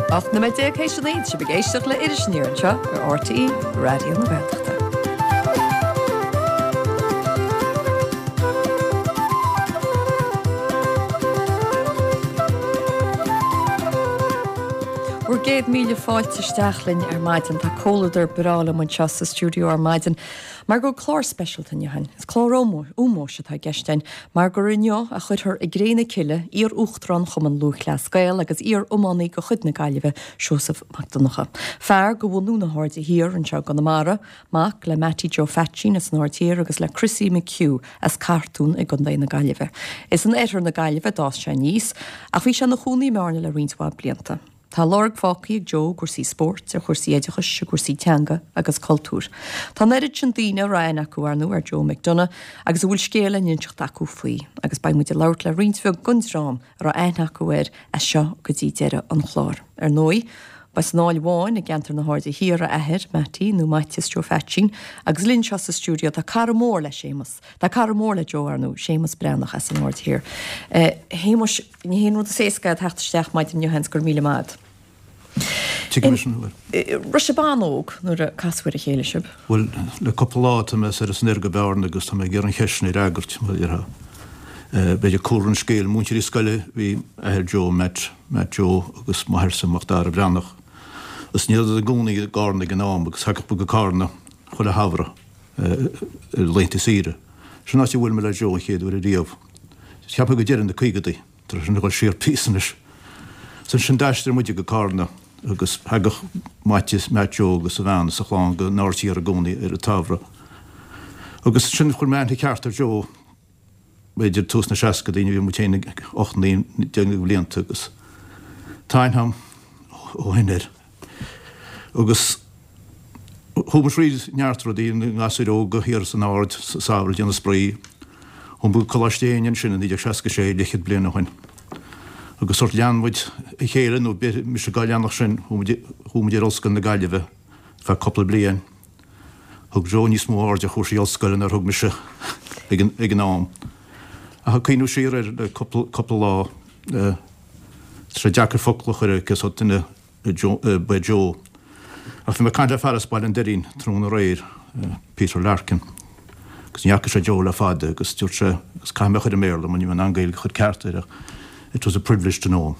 18 nóiméad théis a 9, sibh ag éisteacht le Iris Aniar anseo ar RTÉ Raidió na Gaeltachta. Bhur gcéad míle fáilte isteach linn ar maidin. Tá comhluadar breá liom anseo sa stiúideo ar maidin. Mar go bhfuil clár speisialta inniu againn. Is clár ómóis atá i gceist againn mar gur inniu a chuirfear i gcré na cille iar-Uachtarán Chumann Lúthchleas Gael agus iar-iománaí de chuid na Gaillimhe, Seosamh Mac Donncha. Fear de bhunú na hAirde Thiar anseo i gConamara, mac le Mattie Joe Pheaitsín as an Aird Thiar agus le Chrissie McHugh as Cartún i gContae na Gaillimhe. Is in oirthear na Gaillimhe a d'fhás sé aníos ach bhí sé ina chónaí i mBearna le roinnt mhaith blianta. Tá lorg fágtha ag Joe i gcúrsaí spóirt, ar chúrsaí oideachais, i gcúrsaí teanga agus cultúir. Tá an oiread sin daoine a raibh aithne acu, ar ndóigh, ar Joe McDonagh agus a bhfuil scéal le n-inseacht acu faoi, agus beidh muid ag labhairt le roinnt bheag den dream a raibh aithne acu air as seo go dtí deireadh an chláir. Ar ndóigh, ba as an Fháil Bháin i gceantar na hAirde Thiar a athair, Mattie, nó Maitias Joe Pheaitsín, agus linn seo sa stiúideo tá cara mór le Séamus, tá cara mór le Joe, ar ndóigh, Séamus Breathnach as an Aird Thiar. A Shéamuis, Ní haon rud is éasca é teacht isteach maidin inniu, seans, go raibh míle maith agat. Tuigim leis an uair. Raibh sibh an-óg nuair a casadh ar a chéile sibh? Bhuel, le cúpla lá tá mé soir is anoir go Bearna agus tá mé ag iarraidh an cheist sin a fhreagairt, mar a déarfá. B'fhéidir cúlra an scéil, múinteoirí scoile bhí athair Joe, Matt, Matt Joe agus máthairse, Macdara Breathnach. Agus ní rabhadar ina gcónaí i gCarna ag an am agus thagadh muid go Carna chuile shamhradh ar laethanta saoire. Sin áit a bhuail mé le Joe an chéad uair ariamh. Cheapfá go deireadh na caogadaí, tá sin ag dul siar píosa anois. So ansin d'aistrigh muide go Carna agus thagadh Maitias, Matt Joe agus a bhean is a chlann go an Aird Thiar i gcónaí ar an tsamhradh. Agus ansin chuir mé aithne ceart ar Joe b'fhéidir tús na seascadaí nuair a bhí muid féin ag 8, 9, 10 de bhlianta agus tá aithne agam ó shin air. Agus chuaigh muid thríd neart rudaí, na gasúir óga thiar san Aird sa samhradh ag déanamh spraoi. Chuaigh muid go Coláiste Éinne ansin i 1966, leathchéad bliain ó shin. Agus sórt lean muid a chéile, nó b'fhéidir mise dhá leanacht sin, chuaigh muid ar Ollscoil na Gaillimhe ar feadh cúpla bliain. Thug Joe níos mó aird ar chúrsaí ollscoile ná thug mise ag an am. Ach ag cuimhniú siar air le cúpla lá, tá sé deacair focal a chur ar cé sórt duine ba ea Joe. Ach bhí mé ag caint le fear as Baile an Doirín tráthnóna aréir, Peter Larkin, agus ní fhaca sé Joe le fada agus dúirt sé, agus caithfidh mé a chur i mBéarla mar níl mé in ann Gaeilge a chur ceart air ach, it was a privilege to know him.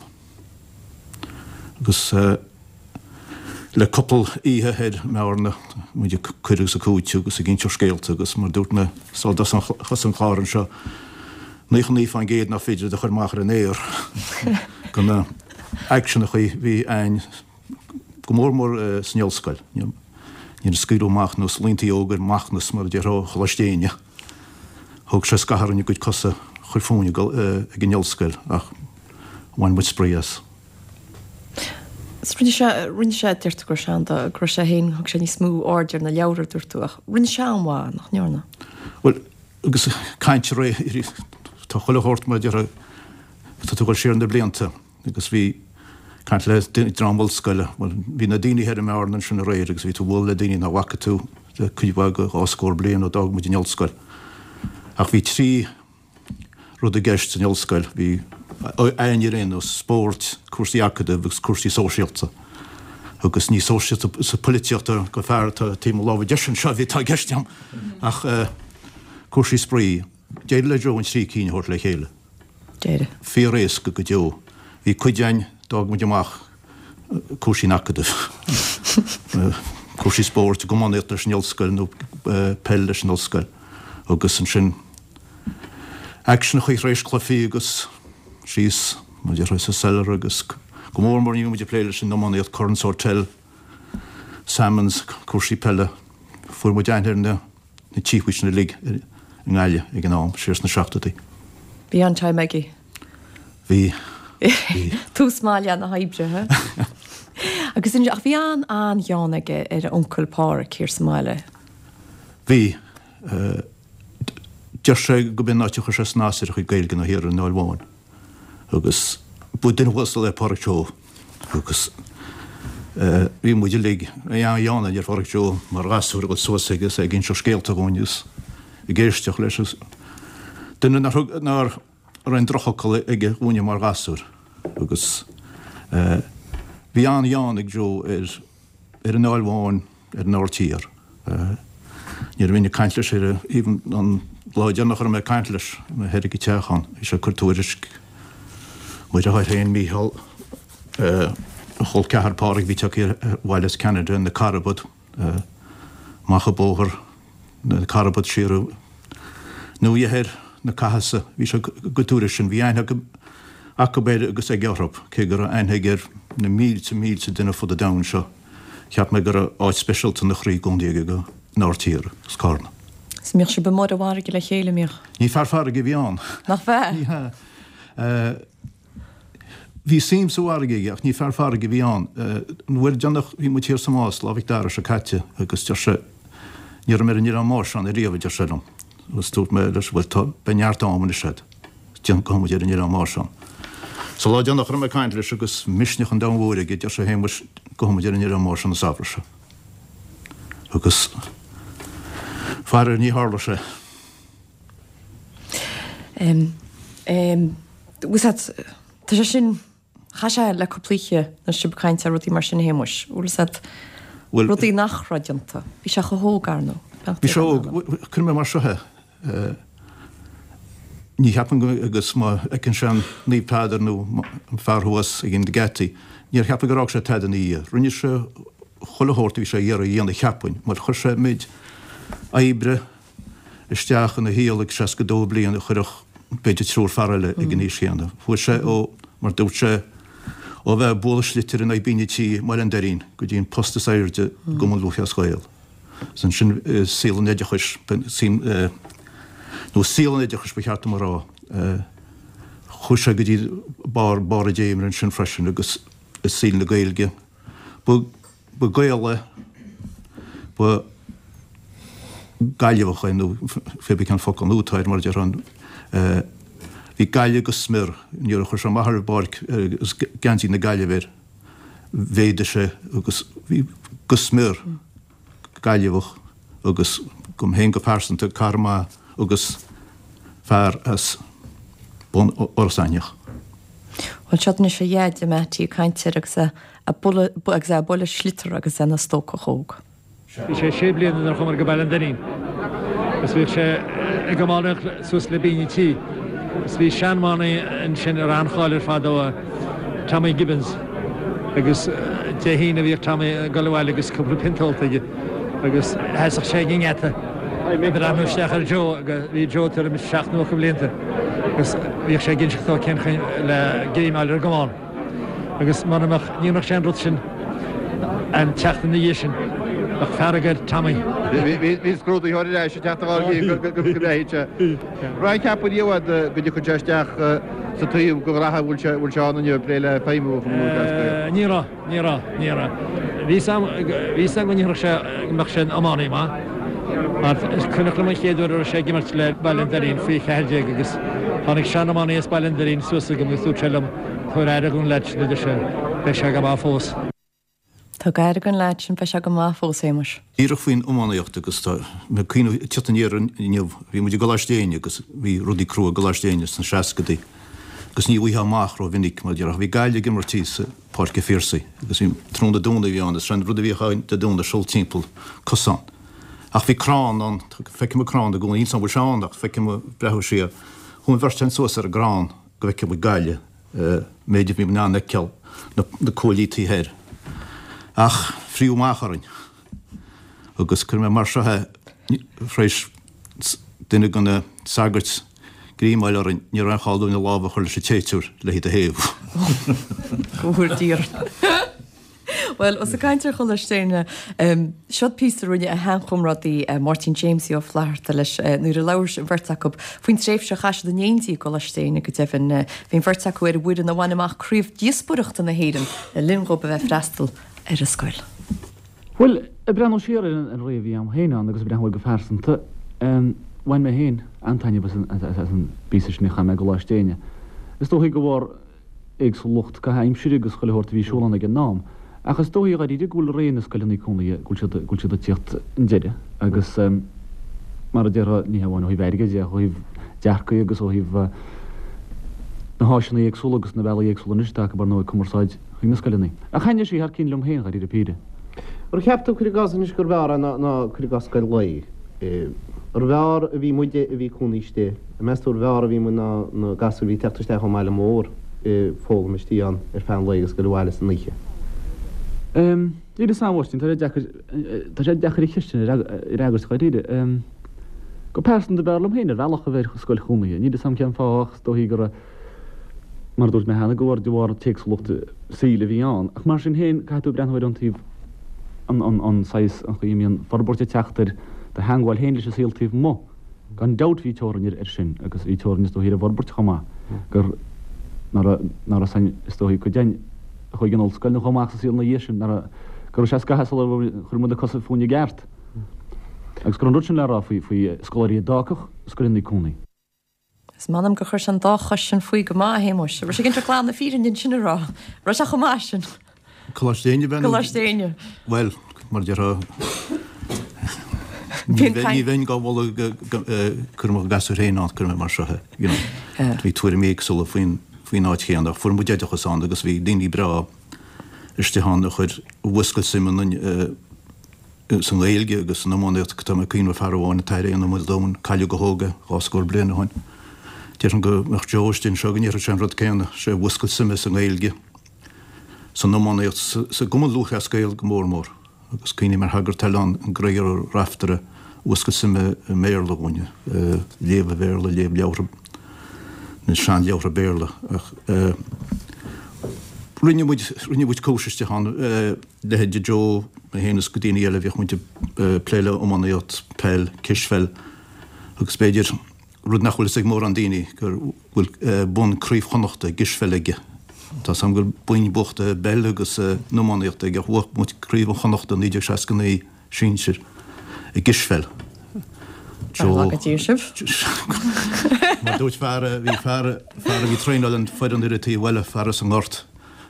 Agus le cúpla oíche thoir i mBearna, muid ag cur agus ag cúiteamh agus ag inseacht scéalta agus mar dúirt mé sula dtosaigh an clár anseo, 99% nach féidir iad a chur amach ar an aer de na aicseanachaí a bhí a'inn go mór mór san ollscoil. Níor scaoileadh amach nós laontaí óga ar Macnas mar a déarfá ó Choláiste Éinne. Thóg sé scaitheamh orainn a gcuid cosa a chur fúinn ag an ollscoil ach bhain muid spraoi as. Rinne sé, rinne sé, deir tú go raibh sé an, go raibh sé féin, thug sé níos mó aird ar na leabhair a dúirt tú ach rinne sé an-mhaith, nach ndearna? Bhuel, agus caint ar, tá chuile shórt mar a déarfá, tá tú ag dul siar na blianta agus bhí caint le dream ollscoile, bhuel, bhí na daoine thoir i mBearna ansin aréir agus bhí tú ag bualadh le daoine nach bhfaca tú le cuid mhaith de dhá scór bliain ó d'fhág muid an ollscoil. Ach bhí trí rud i gceist san ollscoil, bhí a'inn ar aon nós, spóirt, cúrsaí acadaimh agus cúrsaí sóisialta. Agus ní sóisialta sa polaitíocht go fear atá taobh mo láimhe deise anseo a bhí atá i gceist agam ach cúrsaí spraoi. D'éirigh le Joe an trí cinn a thabhairt le chéile. D'éirigh. Fíor-éasca go deo. Bhí cuid a'inn, d'fhág muid amach cúrsaí an acadaimh, cúrsaí spóirt, iománaíocht leis an ollscoil nó peil leis an ollscoil agus ansin aicseanachaí tar éis cluichí agus síos, mar a déarfá, sa cellar agus go mór mór ní raibh muid ag plé leis an iománaíocht, Curran's Hotel, Salmons, cúrsaí peile. Fuair muid aithne ar na. na tíopaí sin uilig i nGaillimh ag an am, siar sna seachtóidí. Bhí an-time aige. Bhí. Bhí. Tús maith le na hoibre, ha? Agus inis, ach bhí an, an-ghean aige ar a uncail Páraic thiar sa mbaile. Bhí. Deir sé go b'in an áit a chuir sé snas ar a chuid Gaeilge ná thiar ar an Fháil Bháin. Agus ba duine uasal é Páraic Joe agus bhí muid uilig an-ghean ar Pháraic Joe mar ghasúr ag dul suas aige is é ag inseacht scéalta dhúinn agus ag éisteacht leis agus duine nár thug, nár raibh aon drochfhocal aige dhúinne mar ghasúir agus. Bhí an-ghean ag Joe ar ar an Aill Bháin, ar an Aird Thiar. Nuair a bhínn ag caint leis ar even an lá deireanach a raibh mé ag caint leis, mé thoir ag an teach ann, bhí sé ag cur tuairisc mo dheartháir féin, Mícheál, a chol ceathar Pádraig a bhí tagtha abhaile as Ceanada, na carbad, amach an bóthar, na carbad siar nó thoir na Cathasa. Bhí sé ag tuairisc sin. Bhí aithne acu air agus aige orthu, cé go raibh aithne aige ar na mílte, mílte duine fud an domhain seo. Cheap mé go raibh áit speisialta ina chroí i gcónaí aige don Aird Thiar agus Carna. Is an mbíodh sibh amuigh ar an bhfarraige le chéile, an mbíodh? Ní fear farraige a bhí ann. Nach bhea? Ní hea. Bhí suim sa bhfarraige aige ach ní fear farraige a bhí ann. An uair deireanach bhí muid thiar sa Más, Lá Mhic Dara seo caite agus deir sé, ní raibh mé ar an Oileán Máis ann ariamh, a deir sé liom. Agus dúirt mé leis, bhuel tá, beidh neart am anois agat, déan, gabhfaidh muid ar an Oileán Máis ann. Sa lá deireanach a raibh mé ag caint leis agus misneach an domhain mhóir aige, deir sé, a Shéamuis, gabhfaidh muid ar an Oileán Máis an samhradh seo. Agus faraor ní tharla sé. Bhfuil a fhios agat, tá sé sin, chaith sé le cúpla oíche nuair sibh ag caint ar rudaí mar sin a Shéamuis, bhfuil a fhios agat, rudaí nach raibh déanta. Bhí sé chomh hóg, ar ndóigh. Bhí sé óg, cuirfidh mé mar seo é, ní cheapaim go, agus má fheiceann sé an Naomh Peadar nó an fear thuas ag na geataí, níor cheap mé gur fhág sé tada ina dhiaidh. Rinne sé chuile shórt a bhí sé ag iarraidh a dhéanamh cheapfainn, mar chuir sé méid oibre, isteach ina shaol ag 62 bliain a chuirfeadh b'fhéidir triúr fear eile ag an aois chéanna. Fuair sé ó, mar dúirt sé, ó bheith ag bualadh sliotair in aghaidh binn an tí i mBaile an Doirín go dtí an post is airde i gCumann Lúthchleas Gael. Agus ansin i saol an oideachais, nó saol an oideachais ba cheart dom a rá, chuaigh sé go dtí barr, barr a dréimire ansin freisin agus i saol na Gaeilge. Ba. Ba Gael é, ba Gaillimheach é nó pé bith cén focal nua atá air mar a déarfá. Bhí Gaillimh go smior. Nuair a chuir sé amach ar an bpáirc agus geansaí na Gaillimhe air, mhéadaigh sé agus bhí go smior Gaillimheach agus dom féin go pearsanta, cara maith agus fear as bun Iorras Aithneach. Bhuel, seo anois a dhaid, Mattie, ag caint air agus é ag agus é ag bualadh sliotar agus é ina stócach óg. Bhí sé sé bliana nuair a chuamar go Baile an Doirín agus bhíodh sé ag iománaíocht suas le binn an tí agus bhí sean-iománaí ansin a raibh an-cháil air fadó, Tommy Gibbons, agus Dé hAoine bhíodh Tommy ag dul abhaile agus cúpla pionta ólta aige agus sheasadh sé ag an ngeata ag breathnú isteach ar Joe agus bhí Joe tuairim is seacht nó ocht mblianta agus bhíodh sé ag inseacht dó cén chaoi le greim a fháil ar an gcamán. Agus mura mbeadh, ní mbeadh sé an rud sin an tseachtain ina dhiaidh sin, bheadh fearg ar Tommy. Bhí scrúdaitheoir ar ais ag teacht a ghabháil go mbeidh sé. Raibh ceapadh riamh agat go dtiocfadh sé isteach sa taobh go rath a bhfuil sé ann inniu ag plé le feidhmiú Chumann Lúthchleas Gael? Ní raibh, ní raibh, ní raibh. Bhí 'fhios a'm, bhí 'fhios a'm go ndéarfadh sé, go mbeadh sé ina iománaí maith. Mar is cuimhneach liom an chéad uair a raibh sé ag imirt le Baile an Doirín faoi 14 agus tháinig sean-iománaí as Baile an Doirín suas chugam agus dúirt sé liom, Tabhair aire don leaid sin, a deir sé, beidh sé go maith fós. Tabhair aire don leaid sin, beidh sé go maith fós, a Shéamuis. Díreach faoin iománaíocht agus tá mé ag cuimhneamh, ag teacht aniar inniu, bhí muid i gColáiste Éinne agus bhí rudaí crua i gColáiste Éinne sna seascadaí agus ní bhfaighfeá amach ró-mhinic mar a déarfá. Bhí Gaillimh ag imirt thíos i Páirc an Phiarsaigh agus bhí tráthnóna Domhnaigh a bhí ann agus an rud a bhíodh ann Dé Domhnaigh siúl timpeall cosán. Ach bhí crann ann, feicim an crann i gcónaí, níl 's a'm an bhfuil sé ann ach feicim ag breathnú siar. Chuaigh an bheirt againn suas ar an gcrann go bhfeicfeadh muid Gaillimh, méid a bhí in ann a fheiceáil na cuaillí taobh thoir. Ach fríodh amach orainn agus cuirfidh mé mar seo é, tar éis duine de na sagairt greim a fháil orainn, ní raibh aon chall dúinn a lámh a chur leis an téiteoir le hiad a théamh. Go bhfóire Dia orainn. Bhuel, ós ag caint ar Choláiste Éinne, seod píosa a rinne a sheanchomrádaí Máirtín Jamesie Ó Flatharta leis nuair a labhair an bheirt acu faoin tréimhse a chaith siad in éindí i gColáiste Éinne go deimhin. Bhí an bheirt acu ar an bhfoireann a bhain amach Craobh Díospóireachta na hÉireann le linn dhóibh a bheith ag freastal ar an scoil. Bhuel, ag breathnú siar ar an ré a bhí a'm féin ann agus ag breathnú air go pearsanta, bhain mé féin an-taitneamh as an bpíosa sin a chaith mé i gColáiste Éinne. Is dóichí de bharr éagsúlacht caitheamh aimsire agus chuile shórt a bhí ar siúl ann ag an am. Ach is dóichí dháiríre go bhfuil ré na scoileanna cónaithe, go bhfuil siad, go bhfuil siad ag tíocht chun deiridh agus mar a déarfá, ní hamháin ó thaobh airgid de ach ó thaobh dearcaidh agus ó thaobh. Na háiseanna éagsúla agus na bealaí éagsúla anois atá acu ar ndóigh cumarsáid chuig na scoileanna. Ach thaitnigh sí thar cionn liom féin, dháiríre píre. Ar cheap tú, cuir i gcás anois, gurbh fhearr é ná, cuir i gcás, scoil lae? Arbh fhearr a bhí muide a bhí cónaí istigh, an meas tú arbh fhearr a bhí muid ná na gasúir a bhí ag teacht isteach ón mbaile mór ag foghlaim istigh ann ar feadh an lae agus ag goil abhaile san oíche? Níl fhios a'm, a Mháirtín, tá sé deacair, tá sé deacair an cheist sin a fhreagairt dháiríre. Go pearsanta b'fhearr liom féin ar bhealach a bheith ar scoil chónaithe. Níl fhios a'm cén fáth ach is dóichí go raibh, mar a dúirt mé cheana, go bhar de bharr an t-éagsúlacht saoil a bhí ann. Ach mar sin féin, caithfidh tú breathnú ar an taobh, an, an, an saghas, an chaoi a mbíonn forbairt ag teacht ar do theangmháil féin leis an saol taobh amuigh. Gan dabht bhí teorainn air sin agus bhí teorainn is dóichí ar an bhforbairt chomh maith, gur, ná raibh, ná raibh san, is dóichí, cuid againn a chuaigh an ollscoil nó chomh maith sa saol ina dhiaidh sin, ná raibh, go raibh sé scaitheamh sula chuir muid na cosa fúinn i gceart. Agus go raibh an rud sin le rá faoi, faoi scoláirí a d'fhágfadh scoileanna cónaí. Is m'anam gur chuir sé an dá chois sin faoi go maith, a Shéamuis. Raibh sé ag inseacht glan na fírinne ansin a rá. Raibh sé chomh maith sin. Coláiste Éinne bhean. Coláiste Éinne. Bhuel, mar a déarfá, ní bheinn dhá mholadh go cuir mo ghasúir féin ann, cuir mé mar seo é, you know. Bhí tuairimí éagsúla faoin faoin áit chéanna ach fuair muid oideachas ann agus bhí daoine breá istigh ann a chuir a mhúscail suim ionainn sa nGaeilge agus san iománaíocht. Tá mé ag cuimhneamh ar fear amháin, an tAthair Éanna Ó Maoldomhain, cailleadh go hóg é, dhá scór bliain ó shin. Déarfainn go mbeadh Joe istigh anseo go ndéarfadh sé an rud céanna, sé a mhúscail suime sa nGaeilge, san iománaíocht, sa gCumann Lúthchleas Gael go mór mór. Agus cuimhním ar shagart eile ann, an Gréagóir Ó Raftaire, a mhúscail suime i mBéarla dhúinn, léamh an Bhéarla, léamh leabhartha, na seanleabhartha Béarla. Ach rinne muid, rinne muid cúis istigh ann. Leithéide Joe, mé féin is daoine eile, bhíodh muid ag plé le iománaíocht, peil, cispheil agus b'fhéidir, rud nach bhfuil fhios ag mórán daoine, go bhfuil bonn Craobh Chonnachta i gcispheil aige. Tá 's agam go bhfuil boinn buachta i bpeil agus in iománaíocht aige ach bhuaigh muid Craobh an Chonnachta 1969 sinsir i gcispheil. Joe. Go dtí sibh. Mar dúirt fear, bhí fear, fear a bhí ag traenáil an foireann ar an taobh eile, fear as an nGort,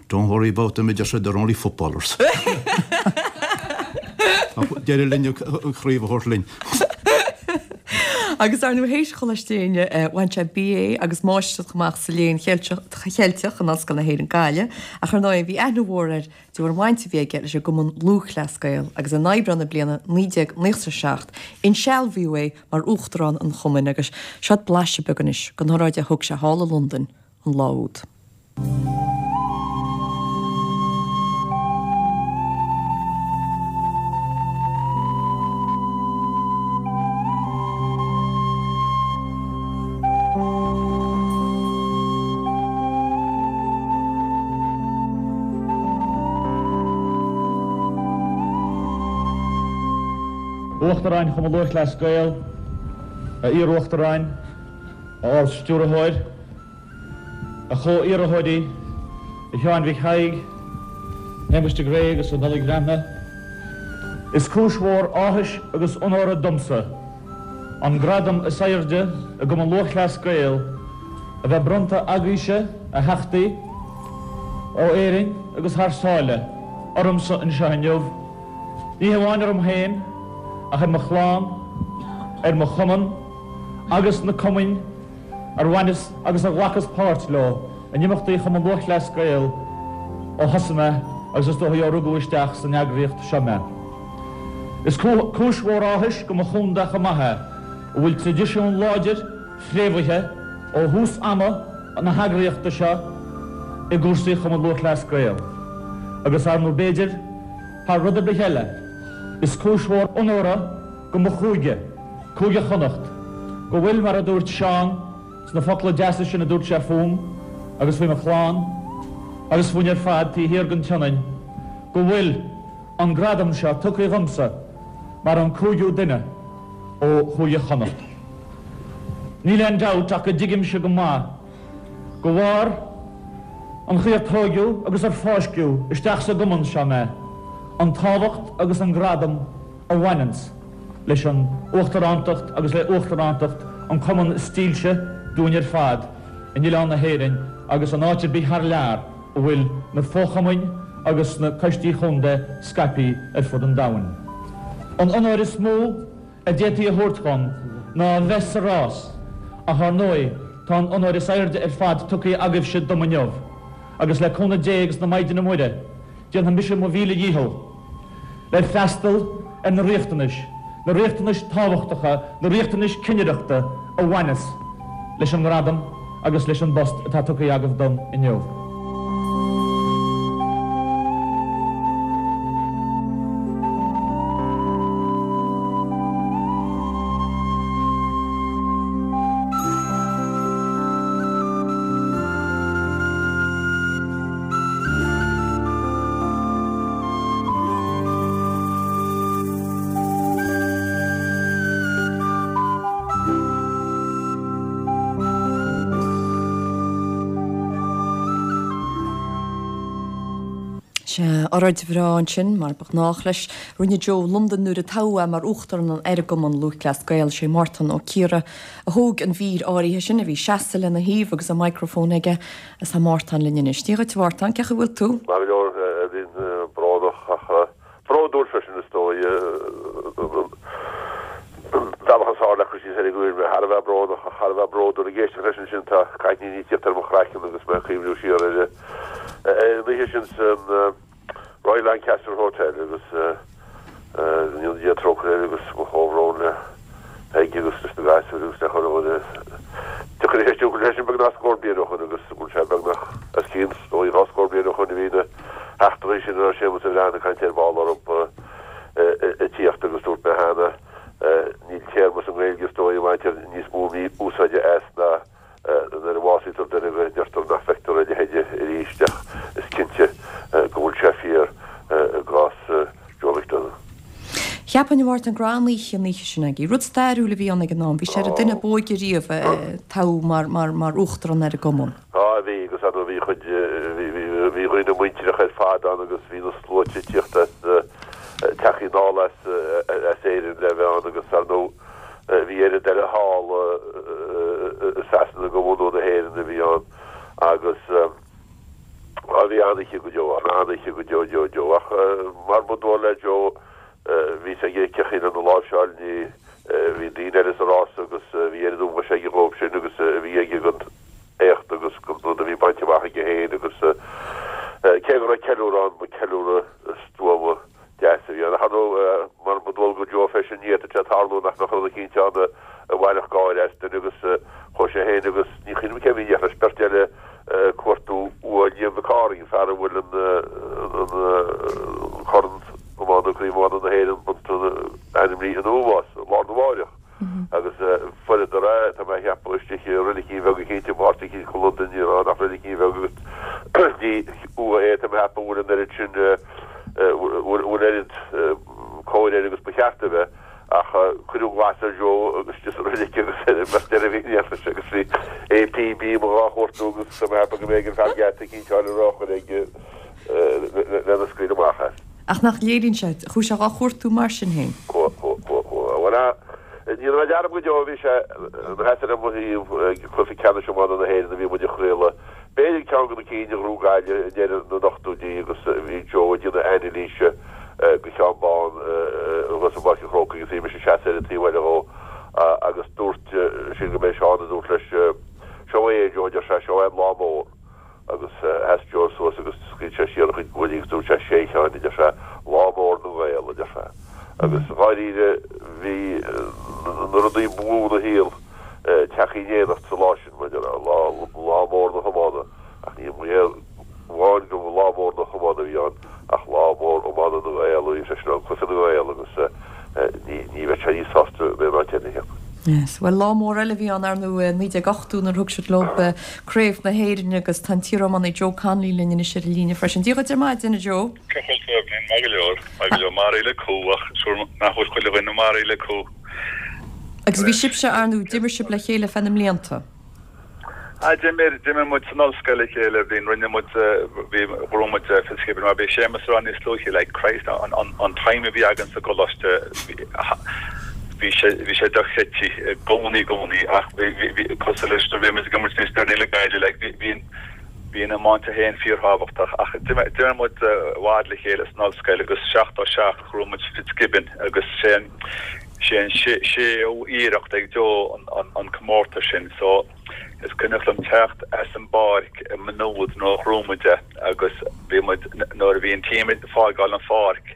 Don't worry about them, a deir sé, they're only footballers. Ach d'éirigh linn an chraobh a thabhairt linn. Agus ar ndóigh théis Choláiste Éinne, bhain sé BA agus Máistreacht amach sa Léann Cheilteach in Ollscoil na hÉireann Gaillimh, ach ar ndóigh bhí aithne mhór air de bharr an bhaint a bhí aige leis an gCumann Lúthchleas Gael agus in Aibreán na bliana 1997 insealbhaíodh é mar Uachtarán an Chumainn agus seod blaiseadh beag anois den óráid a thug sé thall i Londain an lá úd. Uachtaráin Chumann Lúthchleas Gael, a Iar-Uachtaráin, a Ard-Stiúrthóir, A chomh-iarrthóirí, a Sheáin Mhic Thaidhg, a Shéamuis de Gré agus a Nollaig Bhreathnaigh, is cúis mhór áthais agus onóra domsa an gradam is airde i gCumann Lúthchleas Gael a bheith bronnta agaibhse, a Theachtaí, ó Éirinn agus thar sáile, ormsa anseo inniu, ní hamháin orm féin ach ar mo chlann, ar mo chumann agus na cumainn ar bhaineas agus a ghlacas páirt leo in imeachtaí Chumann Lúthchleas Gael ó thosaigh mé agus is dóichí ó rugadh isteach san eagraíocht seo mé. Is cúis mhór áthais go mo chontae chomh maith é, a bhfuil traidisiún láidir fréamhaithe ó thús ama na heagraíochta seo i gcúrsaí Chumann Lúthchleas Gael. Agus ar ndóigh b'fhéidir, thar rud ar bith eile, is cúis mhór onóra go mo chúige, Cúige Chonnacht, go bhfuil, mar a dúirt Seán sna focla deasa sin a dúirt sé fúm agus faoi mo chlann agus fúinn ar fad taobh thiar den tSionainn, go bhfuil an gradam seo tugtha dhomsa mar an cúigiú duine ó Chúige Chonnacht. Níl aon dabht ach go dtuigimse go maith go bharr an chaoi ar tóigeadh agus ar fáisceadh isteach sa gcumann seo mé, an tábhacht agus an gradam a bhaineanns leis an Uachtarántacht agus le Uachtarántacht an cumann is dílse dúinn ar fad in oileán na hÉireann agus in áit ar bith thar lear a bhfuil na fo-chumainn agus na coistí chontae scaipthe ar fud an domhain. An onóir is mó a d'fhéadfaí a thabhairt dhom ná a bheith sa rás ach ar ndóigh. Tá an onóir is airde ar fad tugtha agaibhse dom inniu, agus le cúnamh Dé agus na Maighdine Muire, déanfaidh mise mo mhíle dhícheall le freastal ar na riachtanais, na riachtanais tábhachtacha, na riachtanais cinnireachta a bhaineas leis an ngradam agus leis an bpost atá tugtha agaibh dom inniu. Sea, oráid bhreá ansin, mar ba ghnách leis. Rinne Joe Londain nuair a toghadh é mar Uachtarán ar an gCumann Lúthchleas Gael. Sé Mártan Ó Ciardha a thóg an mhír áirithe sin, a bhí seasta lena thaobh agus an microphone aige. Is tá Mártán linn anois. Dia dhuit a Mhártáin, cén chaoi a bhfuil tú? Maith go leor, a Eibhlín, brónach ach bródúil freisin is dóigh. An bealach is fearr le cur síos air go bhfuil mé thar a bheith brónach ach thar a bheith bródúil. Ag éisteacht leis ansin tá cáithníní ag tíocht ar mo chraiceann agus mé ag cuimhniú siar ar an oíche sin san Royal Lancaster Hotel agus go ndéana Dia trócaire air agus mo chomhbhrón le Peig agus leis na gasúir agus le chuile dhuine. Tiocfaidh a cheistiú leis sin beagnach scór bliain ó shoin agus bhfuil sé beagnach os cionn is dóigh 2 scór bliain ó shoin a bhí na heachtraí sin a raibh Séamus de Bhreathnach ag caint ar ball orthu ag tíocht agus dúirt mé cheana níl téarma sa nGaeilge is dóigh a mbaintear níos mó mí-úsáide as ná Nuair a bhásaítear duine go ndeirtear nach bhfeictear a leithéide arís ach is cinnte go bhfuil sé fíor i gcás Joe McDonagh. Cheapfainn, a Mhártain, go raibh an-oíche an oíche sin agaibh. Rud stairiúil a bhí ann ag an am. Bhí sé ar an duine ab óige riamh a toghadh mar uachtarán ar an gcumann. Á, bhí, agus ar ndóigh bhí chuid, bhí dhaoine muintireach ar fad ann agus bhí na sluaite ag tíocht as, tagtha anall as Éirinn le bheith ann agus ar ndóigh Bhí oiread eile thall i Sasana de bhunadh na hÉireann a bhí ann agus bhí an-oíche go deo ann, an-oíche go deo deo deo. Ach mar ba dual le Joe, bhí a fhios aige cén chaoi lena láimhseáil, ní, bhí daoine eile sa rás agus bhí oiread ómóis aige dhóibh sin agus a bhí aige don éacht agus don rud a bhí bainte amach aige féin agus cé go raibh ceiliúradh ann, ba ceiliúradh stuama deas a bhí ann. Ach ar ndóigh, mar ba dual do Joe freisin, ní fhéadfadh sé tarlú nach mbeadh rud eicínt ann a bhainfeadh gáire as duine agus chuaigh sé féin agus ní chuimhním cé a bhí in éineacht leis, beirt eile ag cuartú uaigh Liam Mhic Cárthaigh, an fear a bhfuil an corn iomána, Craobh Iomána na hÉireann bronnta ainmnithe ina ómós, lá arna mháireach. Agus fuaireadar é, tá mé a cheapadh, istigh i reiligín bheag eicínt i bpáirt eicínt de Londain, ní raibh ann ach reiligín bheag agus ní uaigh é, tá mé a cheapadh, a bhfuil an oiread sin, bhfuil oiread cóir air agus ba cheart a bheith, ach cuireadh glas ar Joe agus istigh sa reilig agus ar an mbeirt eile a bhí in éineacht leis agus bhí APB amuigh dhá chuartú agus tá mé a cheapadh go mb'éigean fear geata eicínt a fháil ar urchar ag lena scaoileadh amach as. Ach nach léiríonn sé, chuaigh sé dhá chuartú mar sin féin. Chuaigh, chuaigh, chuaigh, chuaigh. Bhuel, ní raibh dearmad go deo, bhí sé ina sheasamh ar mo thaobh ag cluiche ceannais iomána na hÉireann a bhí muid a chraoladh, b'fhéidir ceann de na cinn a ghnóthaigh Gaillimh i ndeireadh na n-ochtóidí agus bhí Joe ag déanamh anailíse go cheann bán thuas i bPáirc an Chrócaigh agus bhí mise ag seasamh ar an taobh eile dhó agus dúirt, sílim go mb'é Seán a dúirt leis, seo é Joe, a deir sé, seo é an lá mór. Agus sheas Joe suas agus scaoil sé siar a chuid guaillí agus dúirt sé, 'Sé a Sheáin, a deir sé, lá mór na nGael, a deir sé. Agus dháiríre bhí na rudaí ba mhó ina shaol tagtha in éineacht sa lá sin, mar a déarfá, lá, lá mór na hiomána. Ach ní amháin go lá mór na hiomána a bhí ann ach lá mór iomána na nGael a bhí freisin ann, cluiche na nGael agus ní bheadh sé níos sásta in aon áit eile, cheapfainn. Yes. Bhuel, lá mór eile a bhí ann, ar ndóigh, i 1980 nuair a thug siad leo Craobh na hÉireann agus tá an t-iariománaí Joe Connolly linn anois ar an líne freisin. Dia dhuit ar maidin, a Joe. Cén chaoi a bhfuil tú, Eibhlín? Maith go leor, maith go leor. Maraithe le cú ach sure nach bhfuil chuile dhuine maraithe le cú. Agus bhí sibhse, ar ndóigh, d'imir sibh le chéile feadh na mblianta. Ah, d'imir, d'imir muid san ollscoil le chéile, bhí, rinne muid, bhí, ghnóthaigh muid Fitzgibbon, mar bhí Séamus ag rá níos luaithe, like, Christ, an, an, an time a bhí againn sa gcoláiste, bhí sé, bhí sé dochreidte i gcónaí, i gcónaí, ach bhí, bhí, bhí, cosúil leis nuair a bhí muid ag imirt níos deireanaí le Gaillimh, like, bhí, bhí, bhí an iomáint féin fíorthábhachtach, ach d'imir, d'imir muid i bhfad le chéile san ollscoil agus 77 ghnóthaigh muid Fitzgibbon agus sé an, Sé an séú iarracht ag Joe an comórtas sin so. Is cuimhneach liom teacht as an bpáirc i Maynooth nuair a ghnóthaigh muid é agus bhí muid, nuair a bhí an team ag fágáil an pháirc,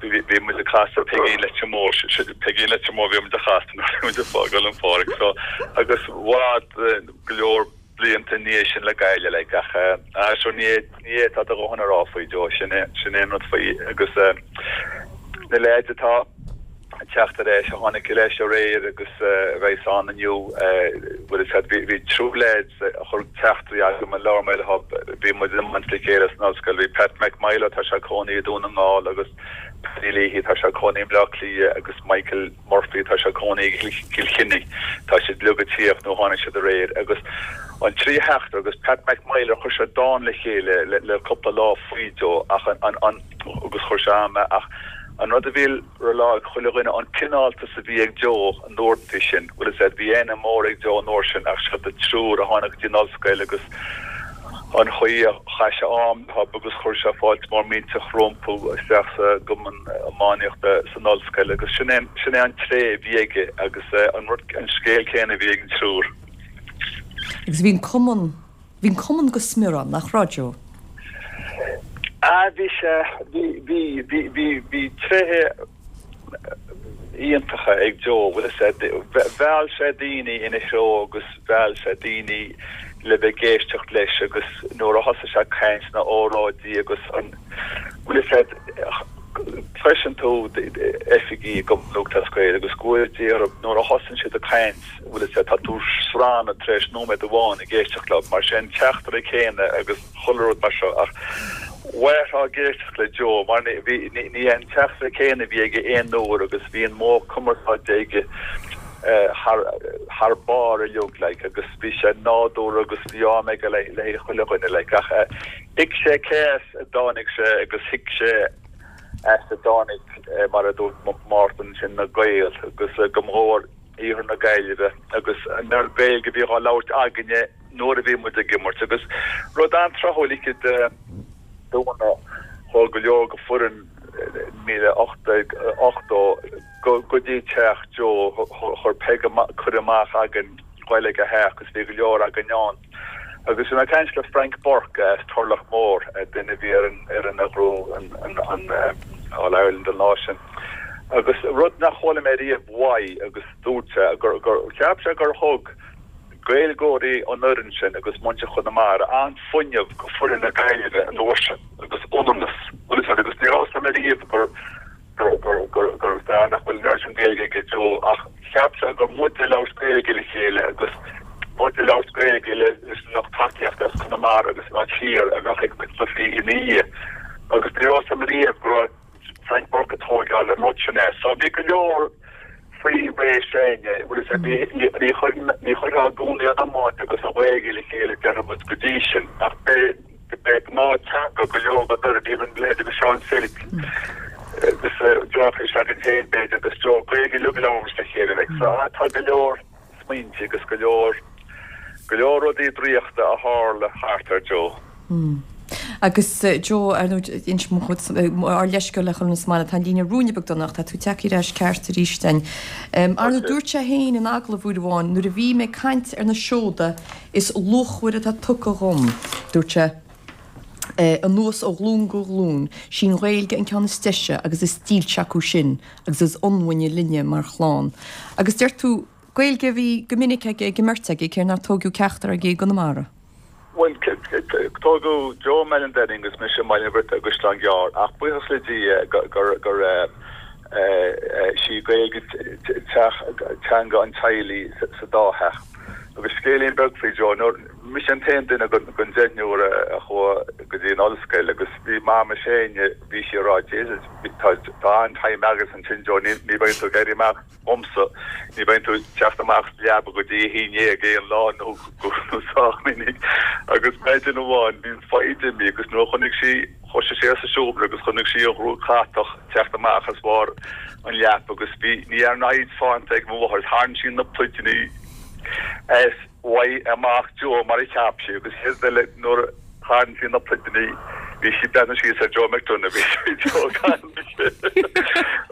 bhí muid ag casadh Peigín Leitir Móir, Peigín Leitir Móir bhí muid a chasadh nuair a bhí muid ag fágáil an pháirc so agus i bhfad go leor blianta i ndiaidh sin le Gaillimh like ach ah sure ní ní fhéadfá do dhóthain a rá faoi Joe sin é sin é an rud faoi agus na leaids atá ag teacht ar ais a tháinig ar ais aréir agus a bheas ann inniu bhfuil fhios agat bhí bhí triúr leaids a chuir teachtairí agam a labhair mé leo bhí muid in iomáint le chéile san ollscoil bhí Pat McMyler tá sé ag cónaí i Dún na nGall agus Paddy Leahy tá sé ag cónaí i mBleá Cliath agus Michael Murphy, tá sé ag cónaí i gCill Chainnigh, tá siad uilig ag tíocht nó tháinig siad aréir agus an trí theachtaire agus Pat McMyler chuir sé dán le chéile le cúpla lá faoi Joe ach an an agus chuir sé am ach an rud a bhí le rá ag chuile dhuine an cineáltas a bhí ag Joe an uaireanta sin bhfuil fhios agat bhí aithne mór ag Joe an uair sin ach siad an triúr a tháinig go dtí an ollscoil agus an chaoi a chaith sé am leo agus chuir sé fáilte mór millteach rompu isteach sa gcumann iománaíochta san ollscoil agus sin é sin é an tréith a bhí aige agus an rud an scéal céanna a bhí ag an triúr. Agus bhí an cumann, bhí an cumann go smior ann, nach raibh, Joe? Ah bhí sé, bhí, bhí, bhí, bhí, bhí tréithe iontacha ag Joe, bhfuil fhios agat, mheall sé daoine ina threo agus mheall sé daoine le bheith ag éisteacht leis agus nuair a thosaigh sé ag caint na óráidí agus an, bhfuil fhios agat, cloiseann tú oifigigh i gCumann Lúthchleas Gael agus go bhfóire Dia orthu nuair a thosaíonn siad ag caint, bhfuil fhios agat, tá tú srannadh tar éis nóiméad amháin ag éisteacht leo mar sé an teachtaire céanna agus. chuile rud mar seo ach mhairfeá ag éisteacht le Joe mar ní bhí ní ní an teachtaire céanna a bhí aige aon uair agus bhí an modh cumarsáide aige thar thar barr uilig like agus bhí sé nádúrtha agus bhí am aige le le haghaidh chuile dhuine like ach thuig sé cé as a dtáinig sé agus thuig sé as a dtáinig mar a dúirt Mártan sin na Gaeil agus go mór iarthar na Gaillimhe agus an oiread Gaeilge a bhí á labhairt againne nuair a bhí muid ag imirt agus rud an-tráthúil oíche Domhnaigh chuaigh go leor de foireann 1880 go dtí teach Joe chuir Peig cuireadh amach againn dul ag a theach agus bhí go leor againn ann agus bhí mé ag caint le Frank Burke as Turloch Mór duine a bhí ar an fhoireann a ghnóthaigh an All Ireland an lá sin agus rud nach chuala mé riamh uaidh agus dúirt sé gur cheap sé gur thug Gaeilgeoirí an fhoireann sin agus muintir Chonamara an-fhuinneamh go foireann na Gaillimhe an uair sin agus ionannas, bhfuil fhios agat, agus ní raibh fhios agam ariamh gur gur gur gur fear nach bhfuil an oiread sin Gaeilge aige Joe ach cheap sé gur muid ag labhairt Gaeilge le chéile agus muid ag labhairt Gaeilge le leis an lucht tacaíochta as Conamara agus an áit thiar a bheadh ag na cluichí ina dhiaidh agus ní raibh fhios agam ariamh go raibh Frank Burke ag tóigeáil an rud sin as. So bhí go leor faoi ré s'againne, bhfuil fhios agat, ní ní chuir ní chuirfeá i gcónaí an iomáint agus an Ghaeilge le chéile déarfaidh muid go dtí sin ach b'é b'é gnáth-teanga go leor den fhoireann, even leithéidí Seán Philip agus deartháir s'againn féin b'fhéidir agus Joe, Gaeilge uilig a labhair muid le chéile like so tá go leor smaointe agus go leor go leor rudaí draíochta a tharla thart ar Joe. Agus Joe, ar ndóigh, inis mo chuid, ár leithscéal le chuile dhuine sa mbaile, tá an líne ruainne beag dona ach tá tú tagtha ar ais ceart arís againn. Ar ndóigh, dúirt sé féin in agallamh uair amháin, nuair a bhí mé ag caint ar na seoda is luachmhaire atá tugtha dhom, dúirt sé, anuas ó ghlúin go glúin, sí an Ghaeilge an ceann is deise agus is dílse acu sin agus is ionmhaine linne mar chlann. Agus deir tú, Gaeilge a bhí go minic aige ag an mbeirt agaibh, cé nár tóigeadh ceachtar agaibh i gConamara. Bhuel, tógadh Joe i mBaile an Daingin agus mise i mBaile an Bhriotaigh i gCaisleán Gearr ach buíochas le Dia gur sí Gaeilge teanga an teaghlaigh sa dá theach. Agus scéilín beag faoi Joe, nuair, mise an t-aon duine den deichniúr a chuaigh go dtí an ollscoil agus bhí Mama s'againne, bhí sí ag rá Jesus, tá an-time agat ansin Joe, ní bheidh tú ag éirí amach. dhomsa. Ní bheidh tú ag teacht amach as leaba go dtí a haon dhéag aon lá nó nó sách minic. Agus maidin amháin bhí an foighid imithe agus nuair a chonaic sí, thoisigh sí sa seomra agus chonaic sí an ghruaig chatach teacht amach as bharr an leapa agus bhí, ní dhearna foighid fanta ag mo mháthair, tharraing sí na pluideanna as uaidh amach Joe mar a cheap sí agus chéad eile nuair a tharraing sí na pluideanna. Bhí sí ag breathnú síos ar Joe McDonagh, bhí Joe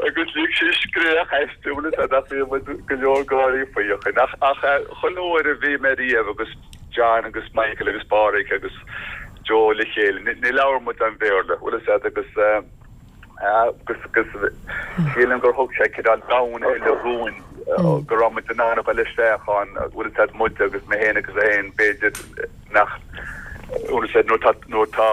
agus lig sí scréach aisti, bhfuil a fhios agat, ach bhí muid go leor gáirí faoi ó shin. Ach ach chuile uair a bhí mé riamh agus John agus Michael agus Pádraig agus Joe le chéile, ní labhair muid aon Bhéarla, bhfuil a fhios agat, agus agus agus sílim gur thug sé cineál domhan eile dhúinn go raibh muid in ann a dhul isteach ann, bhfuil a fhios agat, muid agus mé féin agus é féin, b'fhéidir nach, bhfuil a fhios agat, nuair atá, nuair atá,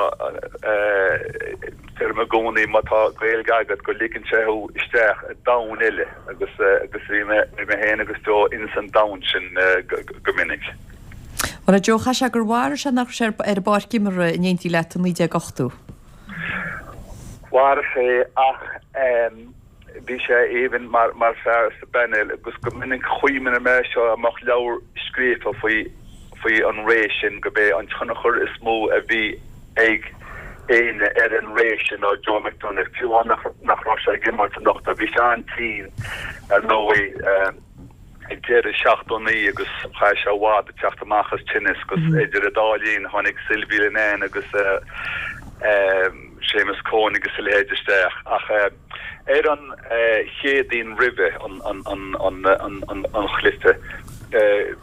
deirim i gcónaí má tá Gaeilge agat go ligeann sé thú isteach i domhan eile agus agus bhí mé, bhí mé féin agus Joe ins an domhan sin go minic. Bhuel a Joe, chaithfeadh sé gur mharaigh sé nach raibh sé ar an bpáirc imeartha in éindí leat i 1980. Mharaigh sé ach bhí sé aoibhinn mar mar fear sa bpainéal agus go minic chuimhnigh mé seo dá mbeadh leabhar scríofa faoi faoi an ré sin go b'é an tionchar is mó a bhí ag éinne ar an ré sin ná Joe McDonagh fiú amháin nach nach raibh sé ag imirt anocht bhí sé an-tinn ar ndóigh. ag deireadh 79 agus chaith sé i bhfad ag teacht amach as tinneas agus idir an dá linn tháinig Sylvie Linnane agus Séamus Coen agus a leithéid isteach ach ar an Chéadaoin roimhe an chluiche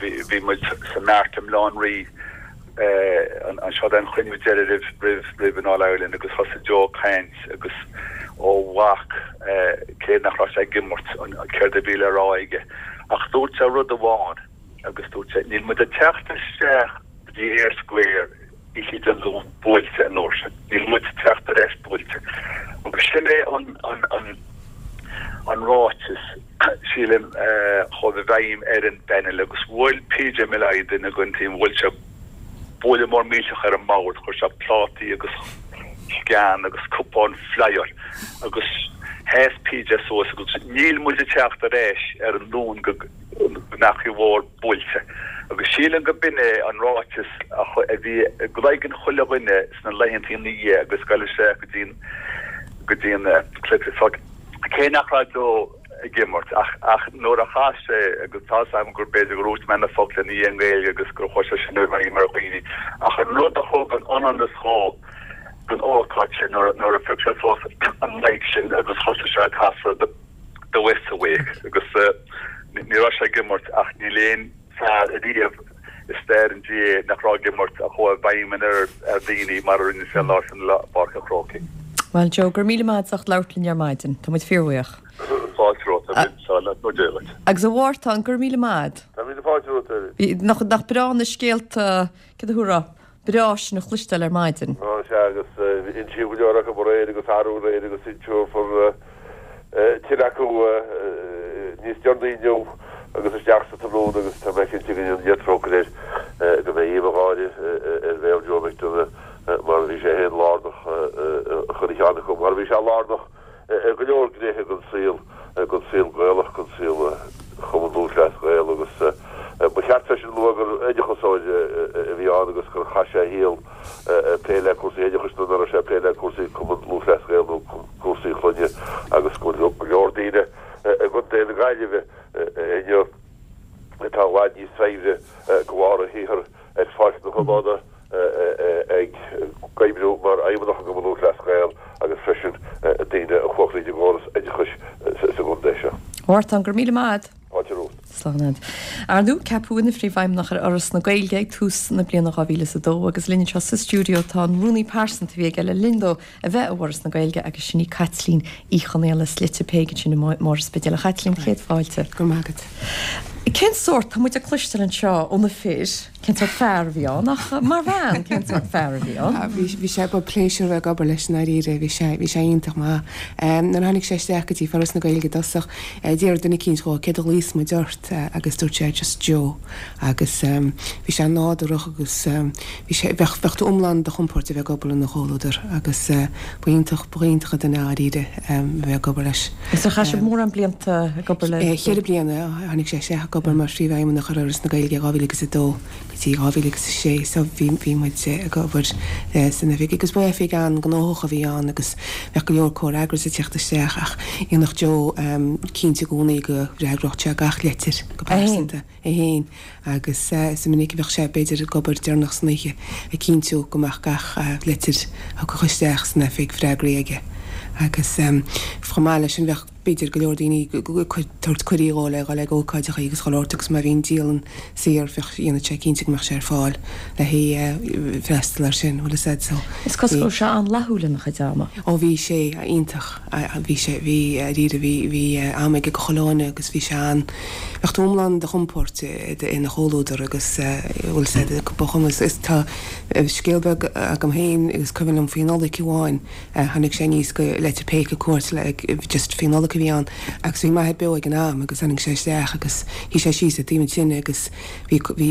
bhí muid sa Mart i mBaile Átha an Rí anseo don chruinniú deiridh roimh roimh an All Ireland agus thosaigh Joe ag caint agus ó bhac cé nach raibh sé ag imirt céard a bhí le rá aige ach dúirt sé rud amháin agus dúirt sé níl muid ag teacht isteach go dtí Eyre Square oíche Dé Luain buailte an uair sin, níl muid ag teacht ar ais buailte agus sin é an an an an ráiteas sílim a chuaigh i bhfeidhm ar an bpainéal agus bhuail PJ Molloy duine den team bhuail sé buille mór millteach ar an mbord, chuir sé plátaí agus scean agus cupáin flyáil agus sheas PJ suas agus níl muid ag teacht ar ais ar an Luan go mbeadh Uíbh Mhór buailte. Agus sílim go b'in é an ráiteas a bhí i gcloigeann chuile dhuine sna laethanta ina dhiaidh agus goil isteach go dtí an go dtí an cluiche. So cé nach raibh Joe ag imirt ach ach nuair a chas sé agus tá's agam gur b'fhéidir gur úsáid mé na focla ina dhiaidh i nGaeilge agus gur chuir sé sin i bhfeidhm ar dhaoine ach an rud a thug an ionannas dhó don ócáid sin nuair nuair a phioc sé suas an mic sin agus thosaigh sé ag casadh The West's Awake agus ní raibh sé ag imirt ach níl aon fear ariamh i stair an GAA nach raibh ag imirt a chuaigh i bhfeidhm ar ar dhaoine mar a rinne sé an lá sin i bPáirc an Chrócaigh. Bhuel Joe, go raibh míle maith agat as ucht labhairt linn ar maidin. Tá muid fíorbhuíoch. Fáilte romhat, a Bhinn. Duit. Agus a Mhártáin, go raibh míle maith agat. Tá míle fáilte romhat, a Bhí, nach, nach breá na scéalta, céard a thabharfá, breá sin a chloisteáil ar maidin. Á, sea, agus insíodh go leor acu aréir agus arú aréir agus inseofar tuilleadh acu níos deireanaí inniu agus isteach sa tráthnóna agus tá mé cinnte go ndéana Dia trócaire air go mbeidh aoibh an gháire ar bhéal Joe McDonagh mar a bhí sé féin lárnach i chuile cheann acu, mar a bhí sé lárnach i go leor gnéithe den saol, den saol Gaelach, den saol Chumann Lúthchleas Gael agus ba cheart freisin a lua gur oideachasóir a bhí ann agus gur chaith sé a shaol ag plé le cúrsaí oideachais nuair nach raibh sé ag plé le cúrsaí Cumann Lúthchleas Gael nó cúrsaí clainne agus go bhfuil go leor daoine i gContae na Gaillimhe inniu atá i bhfad níos saibhre de bharr a shaothair ar pháirc na hiomána ag oibriú mar fheidhmeannach i gCumann Lúthchleas Gael agus freisin daoine a chuaigh thríd an gcóras oideachais sa gcontae seo. A Mhártáin, go raibh míle maith agat. Fáilte romhat. Slán agat. Ar ndóigh, ceapadh ina Phríomhfheidhmeannach ar Fhoras na Gaeilge ag tús na bliana 2002 agus linn anseo sa stiúideo tá an rúnaí pearsanta a bhí aige le linn dó a bheith i bhForas na Gaeilge agus sin í Caitlín Uí Chonaola slite Peig ansin i mBarr an Spidéil. A Chaitlín, céad fáilte. Go raibh maith agat. Cén sórt, tá muid ag cloisteáil anseo ó na fir, cén sórt fear a bhí ann ach mar bhean, cén sórt fear a bhí ann? Bhí, bhí sé, ba pléisiúr a bheith ag obair leis i ndáiríre, bhí sé, bhí sé iontach maith. Nuair a tháinig sé isteach go dtí Foras na Gaeilge i dtosach, d'iarr duine eicínt dhó céard a ghlaofas muid ort agus dúirt sé just Joe agus bhí sé nádúrach agus bhí sé, bheadh, bheadh tú iomlán ar do chompord a bheith ag obair ina chomhluadar agus ba iontach, ba iontach an duine é i ndáiríre a bheith ag obair leis. Agus ar chaith sibh mórán blianta ag obair le? Cheithre bliana a tháinig sé isteach. Ag obair mar Phríomhfheidhmeannach ar Fhoras na Gaeilge 2000 agus 2 go dtí 2000 agus 6 so bhí bhí muid ag obair san oifig agus ba oifig an-ghnóthach a bhí ann agus bheadh go leor comhfhreagras ag teacht isteach ach dhéanfadh Joe cinnte i gcónaí go bhfreagródh sé gach leitir go pearsanta é féin agus is minic a bheadh sé b'fhéidir ag obair deireanach san oíche ag cinntiú go mbeadh gach leitir a thiocfadh isteach san oifig freagraithe aige agus chomh maith leis sin bheadh b'fhéidir go leor daoine ag tabhairt cuirí dhó le dhul ag ócáideacha agus chuile shórt agus má bhí an dialann saor bheadh dhéanfadh sé cinnte go mbeadh sé ar fáil le haghaidh freastal air sin, bhfuil fhios a'd so. Is cosúil go raibh sé an-fhlaithiúil ina chuid ama. Ó bhí sé iontach, bhí sé, bhí, dáiríre, bhí, bhí am aige do chuile dhuine agus bhí sé an, bheadh tú iomlán i do chompord ina chomhluadar agus bhfuil fhios a'd ba chuma is tá scéal beag agam féin agus cuimhin liom faoi Nollaig amháin Tháinig sé aníos go Leitir Péic ag cuairt le just faoi Nollaig a bhí ann agus bhí m'athair beo ag an am agus tháinig sé isteach agus shuigh sé síos ag taobh an tine agus bhí bhí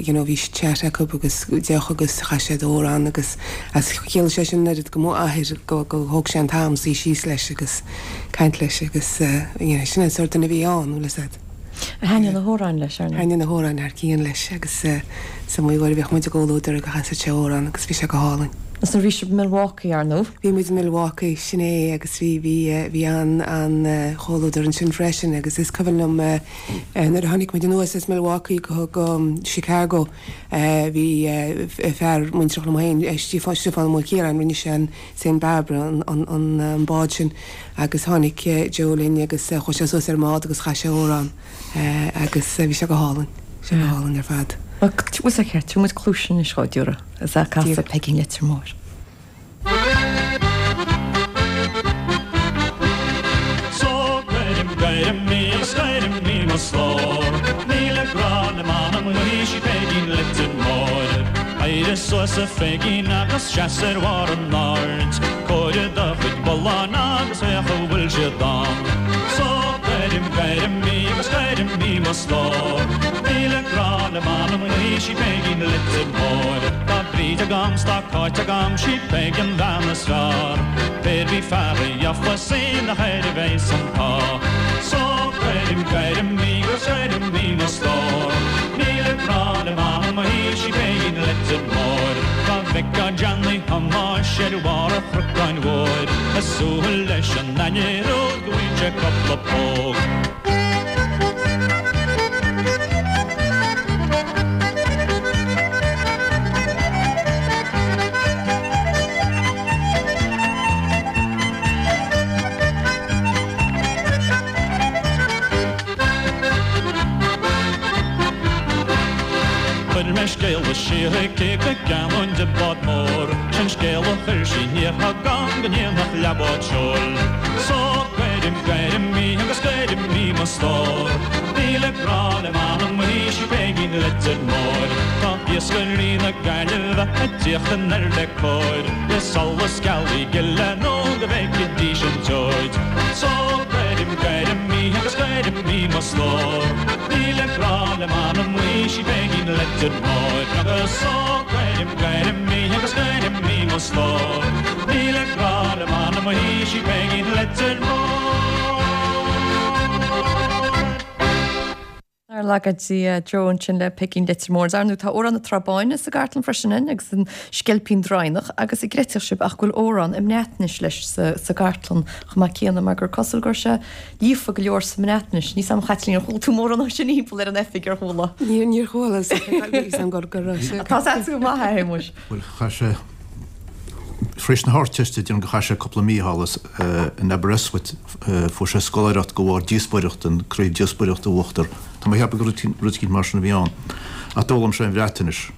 you know bhí chat acu agus deoch agus chas siad amhrán agus as chiallaigh sé sin an oiread do m'athair go go thóg sé an t-am suí síos leis agus caint leis agus you know sin an sórt duine a bhí ann bhfuil fhios a'd. Thaitnigh na hamhráin leis, ar ndóigh. Thaitnigh na hamhráin thar cionn leis agus is iomaí uair a bhíodh muid i gcomhluadar agus chasadh sé amhrán agus bhí sé go hálainn. Agus nuair a bhí sibh i Milwaukee, ar ndóigh. Bhí muid i Milwaukee, sin é, agus bhí, bhí, bhí an-chomhluadar ansin freisin agus is cuimhin liom nuair a tháinig muid anuas as Milwaukee go, go Chicago, bhí fear muintreach liom féin, Stiofán, Stiofán Ó Maoilchiaráin, rinne sé an Saint Barbara, an, an, an bád sin. Agus tháinig Joe linn agus chuaigh sé suas ar an mbád agus chas sé amhrán agus bhí sé go hálainn, bhí sé go hálainn ar fad. Bhuel, bhfuil sé ceart, tabharfaidh muid cluais anois dhó, déarfá, is é ag casadh Peigín Leitir Móir. So cuirim, cuirim í agus cuirim í mo stór. Míle grá le m'anam í sí Peigín Leitir Móir. Éirigh suas a Pheigín agus seas ar bharr an aird. Comhair do chuid bullán agus féach an bhfuil siad ann. So cuirim, cuirim í agus cuirim í mo stór. Míle grá le m'anam í sí Peigín Leitir Móir. Tá Bríd agam 's tá Cáit agam sí Peig an bhean is fearr. Pé'r bith fear a gheofas í nach air a bheas an t-ádh. So cuirim, cuirim í agus cuirim í mo stór. Míle grá le m'anam í sí Peigín Leitir Móir. Dá bhfeicfeá Johnny Thomáis ar bharr an chnocáin mhóir, ag súil leis an ainnir úd go bhfaigheann sé cupla póg. Chuir mé scéala siar chuici go gceannóinn di bád mór, Sin scéal a chuir sí aniar chugam go ndéanfadh leathbhád seoil. So cuirim, cuirim í agus cuirim í mo stór. Míle grá le m'anam í sí Peigín Leitir Móir. Tá iascairí na Gaillimhe ag tíocht anoir le cóir, Le solas gealaí gile nó go bhfeicfidís an tseoid. So cuirim, cuirim í agus cuirim í mo stór. Míle grá le m'anam í sí Peigín Leitir Móir. Agus so cuirim, cuirim í agus cuirim í mo stór. Míle grá le m'anam í sí Peigín Leitir Móir. Nár laga Dia Joe ansin le Peigín Leitir Móir. Ar ndóigh tá Amhrán na Trá Báine sa gcartlann freisin againn agus an Sceilpín Draighneach agus an gcreidfeadh sibh ach go bhfuil amhrán i mBreatnais leis sa gcartlann chomh maith céanna mar gur cosúil go raibh sé líofa go leor sa mBreatnais. Níl 's a'm a Chaitlín ar chuala tú mórán dó sin thimpeall ar an oifig ar chuala? Níor níor chuala is a'm gur go raibh sé. Tá 's a'd go maith a Shéamuis. Bhuel chaith sé Tar éis na hArdteiste déarfainn gur chaith sé cúpla mí thall in Aberystwyth. Fuair sé scoláireacht de bharr díospóireacht, an craobh díospóireachta a bhuachtar. Tá mé ag ceapadh gur rud eicínt mar sin a bhí ann. Ach d'fhoghlaim sé an Bhreatainis.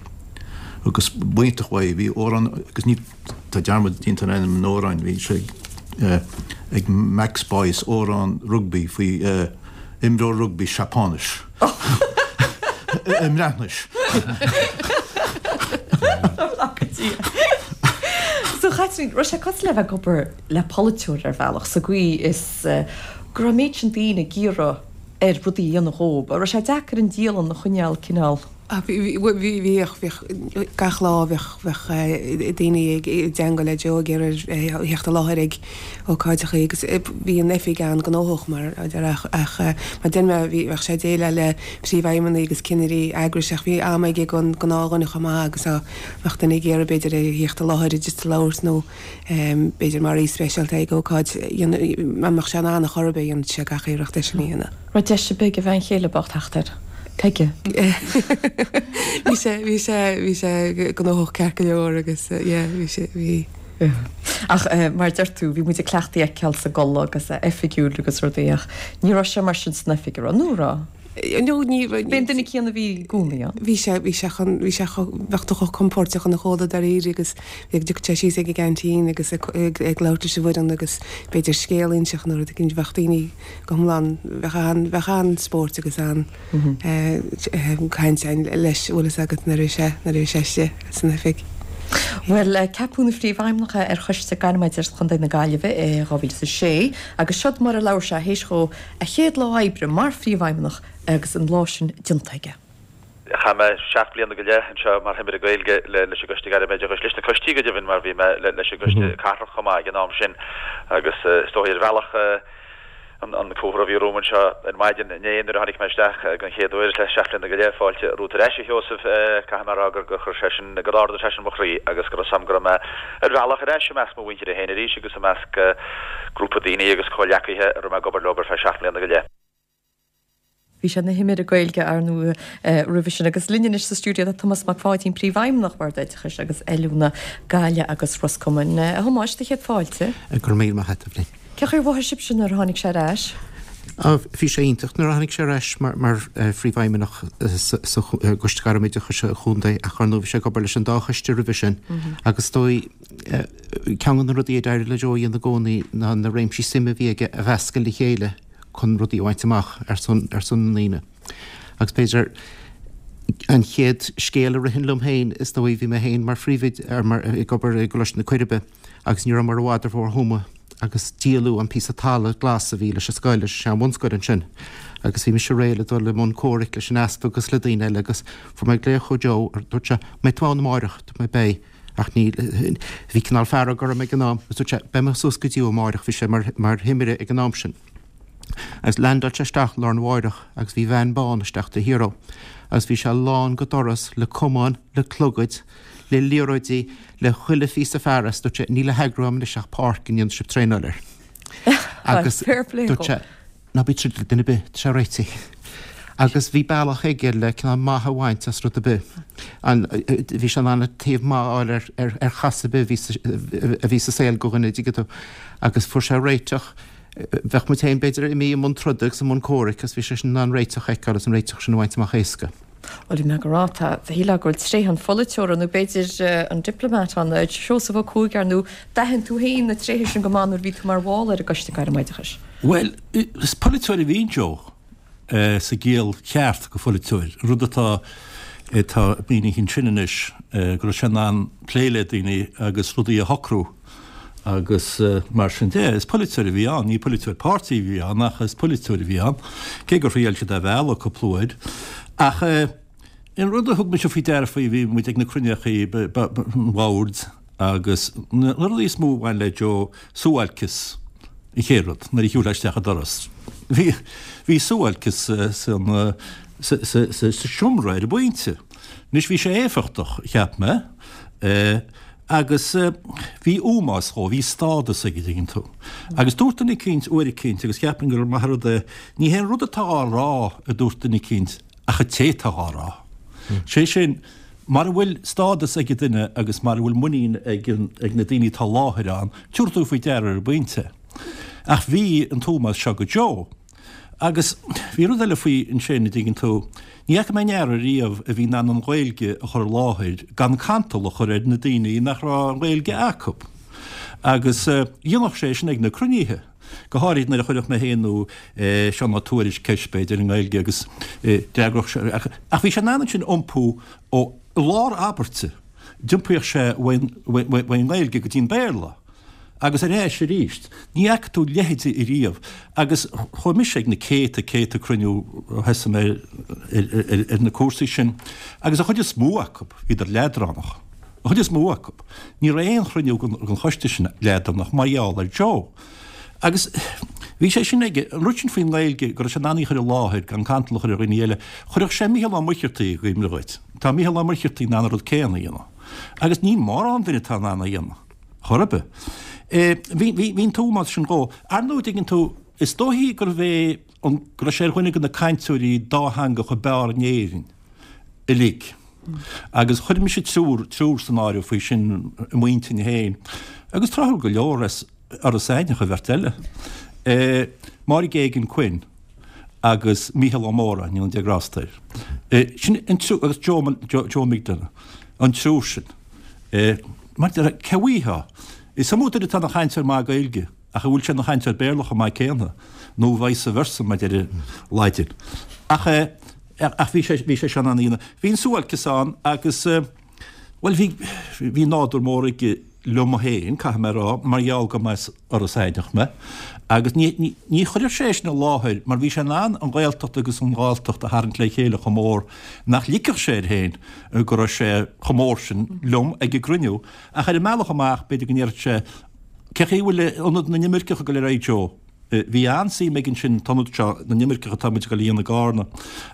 Agus b'iontach uaidh, bhí amhrán, agus ní, tá dearmad déanta ar ainm an amhráin, bhí sé ag Max Boyce, amhrán rugbaí faoi imreoir rugbaí Seapáinis. I mBreatnais. So Chaitlín, raibh sé cosúil le bheith ag obair le polaiteoir ar bhealach, sa gcaoi is go raibh an méid sin daoine ag iarraidh air rudaí a dhéanamh dhóib. Raibh sé deacair an dialann a choinneáil cineál. Bhí, bhíodh, bhíodh, gach lá bheadh, bheadh daoine ag teagmháil le Joe ag iarraidh a theacht i láthair ag ócáideacha agus bhí an oifig an-ghnóthach mar a deir ach mar deir mé bhí, bheadh sé ag déileáil le príomhfheidhmeannaigh agus cinnirí eagrais ach bhí am aige don gnáthdhuine chomh maith agus dá mbeadh duine ag iarraidh b'fhéidir a theacht i láthair just a labhairt nó b'fhéidir mar aoi speisialta ag ócáid, dá mbeadh sé in ann a chor ar bith, dhéanfadh sé gach iarracht é sin a dhéanamh. Raibh deis ar bith ag a bhean chéile bocht theacht air? Peige. Bhí sé, bhí sé, bhí sé gnóthach ceart go leor agus yeah, bhí sé, bhí. Ach mar a deir tú, bhí muid ag cleachtadh é a fheiceáil sa gculaith agus é oifigiúil agus rudaí ach ní raibh sé mar sin san oifig, an raibh? Nó an raibh? No, ní. B'é an duine céanna a bhí i gcónaí ann. Bhí sé, bhí sé chun, bhí sé chomh, bheadh tú chomh compóirteach ina chomhluadar dáiríre agus bhí, dtiocfadh sé síos ag an gceaintín agus ag, ag, ag labhairt leis an bhfoireann agus b'fhéidir scéal a inseacht nó rud éicint, bheadh daoine go hiomlán, bheadh an, bheadh an-spóirt agus an, eh, caint ann leis, bhfuil fhios agat, nuair a bhí sé, nuair a bhí sé istigh san oifig. Bhuel, ceapadh ina phríomhfheidhmeannach é ar Choiste Gairmoideachais Chontae na Gaillimhe i 2006 agus seod mar a labhair sé théis dhó A chéad lá oibre mar phríomhfheidhmeannach agus an lá sin déanta aige. Chaith mé seacht mbliana go leith anseo mar Thimire Gaeilge leis an gCoiste Gairmoideachais, leis na coistí go deimhin mar bhí mé leis an gCoiste Cathrach chomh maith ag an am sin agus is dóigh ar bhealach an comhartha a bhí romham anseo ar maidin inné nuair a tháinig mé isteach den chéad uair le seacht mbliana go leith, fáilte romhat ar ais a Sheosaimh, caithfidh mé a rá gur chuir sé sin, gur ardaigh sé sin mo chroí agus go raibh 's a'm go raibh mé ar bhealach ar ais i measc mo mhuintire féin arís agus i measc grúpa daoine agus comhghleacaithe a raibh mé ag obair leo ar feadh 7 mbliana go leith. Bhí sé ina Thimire Gaeilge, ar ndóigh, roimhe sin. Agus linn anois sa stiúideo tá Tomás Mac Pháidín, Príomhfheidhmeannach Bhord Oideachais agus Oiliúna Gaillimh agus Ros Comáin. A Thomáis, do chéad fáilte. Go raibh míle maith agat, Eibhlín. Cén chaoi ar mhothaigh sibhse nuair a tháinig sé ar ais? Bhí sé iontach nuair a tháinig sé ar ais mar Phríomhfheidhmeannach sa gCoiste Gairmoideachais Chontae ach ar ndóigh bhí sé ag obair leis an dá choiste roimhe sin agus is dóigh ceann de na rudaí a d'éirigh le Joe a dhéanamh i gcónaí ná na réimsí suime a bhí aige a mheascadh le chéile chun rudaí a bhaint amach ar son ar son na ndaoine. Agus b'fhéidir an chéad scéal a ritheann liom féin is dóigh bhí mé féin mar phríomhoide ar mar ag obair i gColáiste na Coiribe agus ní rabhamar i bhfad ar Bhóthar Thuama agus díoladh an píosa talamh glas a bhí leis an scoil, leis an sean-bhunscoil ansin. Agus bhí mise réidh le dul i mbun comhraic leis an easpag agus le daoine eile agus fuair mé glaoch ó Joe, dúirt sé, mbeidh tú ann amáireach? Dúirt mé, beidh. Ach ní, bhí cineál fearg orm ag an am. Agus dúirt sé, beidh mé suas go dtí tú amáireach, bhí sé mar, mar thimire ag an am sin. Agus leaindeáil sé isteach lá arna mháireach agus bhí veain bán isteach taobh thiar dhó. Agus bhí sé lán go doras le camáin, le clogaid, le liathróidí, le chuile phíosa fearas. Dúirt sé, níl le heagrú agam anois ach páirc a ndéanfaidh sibh traenáil air. Agus dúirt sé, Ná bí ag troid le duine ar bith, tá sé réitithe. Agus bhí bealach aige le cineál maith a bhaint as rud ar bith. Bhí sé in ann an taobh maith a fháil ar ar chas ar bith a bhí sa a bhí sa saol do dhuine, dtuigeann tú. Agus fuair sé réiteach, bheadh muid féin b'fhéidir imithe i mbun troda agus i mbun comhraic agus bhí sé sin in ann réiteach a fheiceáil agus an réiteach sin a bhaint amach éasca. Bhuel, bhí mé ag rá, tá, shílfeá go bhfuil tréithe an pholaiteora nó b'fhéidir an diplomat ann. Seosamh Ó Cuaig, ar ndóigh, d'aithin tú féin na tréithe sin go maith nuair a bhí tú mar bhall ar an gCoiste Gairmoideachais. Bhuel, is polaiteoir a bhí in Joe, sa gciall cheart de pholaiteoir, an rud atá atá mínithe ansin anois, go raibh sé in ann plé le daoine agus rudaí a shocrú agus mar sin de. Is polaiteoir a bhí ann, ní polaiteoir páirtí a bhí ann ach is polaiteoir a bhí ann, cé gur thriail siad é a mhealladh cúpla uair. Ach an rud a thug mise faoi deara faoi, bhí muid ag na cruinneachaí an bhoird agus na rudaí is mó a bhain le Joe, suáilceas an chéad rud nuair a shiúlfá isteach an doras. Bhí bhí suáilceas san sa sa sa seomra ar an bpointe. Anois bhí sé éifeachtach, cheap mé, agus bhí ómós dhó, bhí stádas aige, dtuigeann tú. Agus dúirt duine eicínt uair eicínt, agus cheapfainn gur maith an rud é, ní hé an rud atá á rá, a dúirt duine eicínt, ach an té atá á rá. Sé sin, mara bhfuil stádas ag an duine agus mara bhfuil muinín ag ag na daoine atá i láthair ann, tabharfaidh tú faoi deara ar an bpointe. Ach bhí an t-ómós seo go Joe. Agus bhí rud eile faoi ansin, a dtuigeann tú, ní fhaca mé aon fhear ariamh a bhí in ann an Ghaeilge a chur i láthair gan cantal a chur ar na daoine nach raibh an Ghaeilge acu. Agus dhéanfadh sé sin ag na cruinnithe, go háirid nuair a chuirfeadh mé féin nó Seán Ó Tuairisg ceist, b'fhéidir, i nGaeilge agus d'fhreagródh sé. Ach bhí sé in ann ansin iompú ó lár abairte, d'iompaíodh sé uaidh an nGaeilge go dtí an Béarla. agus ar ais arís. Ní fhaca tú a leithéid ariamh. Agus chuaigh mise ag na céadta, céadta cruinniú ó thosaigh mé ar na cúrsaí sin agus an chuid is mó acu, bhíodar leadránach. An chuid is mó acu. Ní raibh aon chruinniú den choiste sin leadránach mar gheall ar Joe. Agus bhí sé sin aige, an rud sin faoin nGaeilge, go raibh sé in ann í a chur i láthair gan cantal a chur ar dhaoine eile. Chuirfeadh sé Mícheál Ó Muircheartaigh i gcuimhne dhuit. Tá Mícheál Ó Muircheartaigh in ann an rud céanna a dhéanamh. Agus níl mórán duine atá in ann é a dhéanamh. Chor ar bith. Bhí, bhí, bhí an t-ómós sin dhó. Ar ndóigh, dtuigeann tú, is dóichí gurbh é an, go raibh sé ar dhuine de na cainteoirí dátheangacha b'fhearr in Éirinn uilig. Agus chuir mise triúr, triúr san áireamh faoi sin i m'intinn féin. Agus tráthúil go leor as Iorras Aithneach an bheirt eile. Máire Geoghegan Quinn agus Mícheál Ó Móráin, go ndéana Dia grásta air. Sin an triúr, agus Joe, Joe McDonagh, an triúr sin. Mar deir, cé uaidh Is iomaí duine atá ina chainteoir maith Gaeilge, ach an bhfuil sé ina chainteoir Béarla chomh maith céanna, nó vice versa, mar deir an Laidin. Ach, ach bhí sé, bhí sé seo in ann a dhéanamh. Bhí an suáilceas ann agus, bhuel, bhí, bhí nádúr mór aige liom féin, caithfidh mé a rá, mar gheall go mba as Iorras Aithneach mé, agus ní, ní, ní chuirfeadh sé é sin i láthair mar bhí sé in ann an Ghaeltacht agus an Ghalltacht a tharraingt le chéile chomh mór nach ligfeadh sé air féin go raibh sé chomh mór sin liom ag an gcruinniú. Ach ar an mbealach amach, b'fhéidir go ndéarfadh sé, Cé chaoi a bhfuil Ionad na nImirceach ag dul ar aghaidh, Joe? Bhí an-suim aige ansin, an t-ionad seo na n-imirceach atá muid ag dul a dhéanamh i gCarna.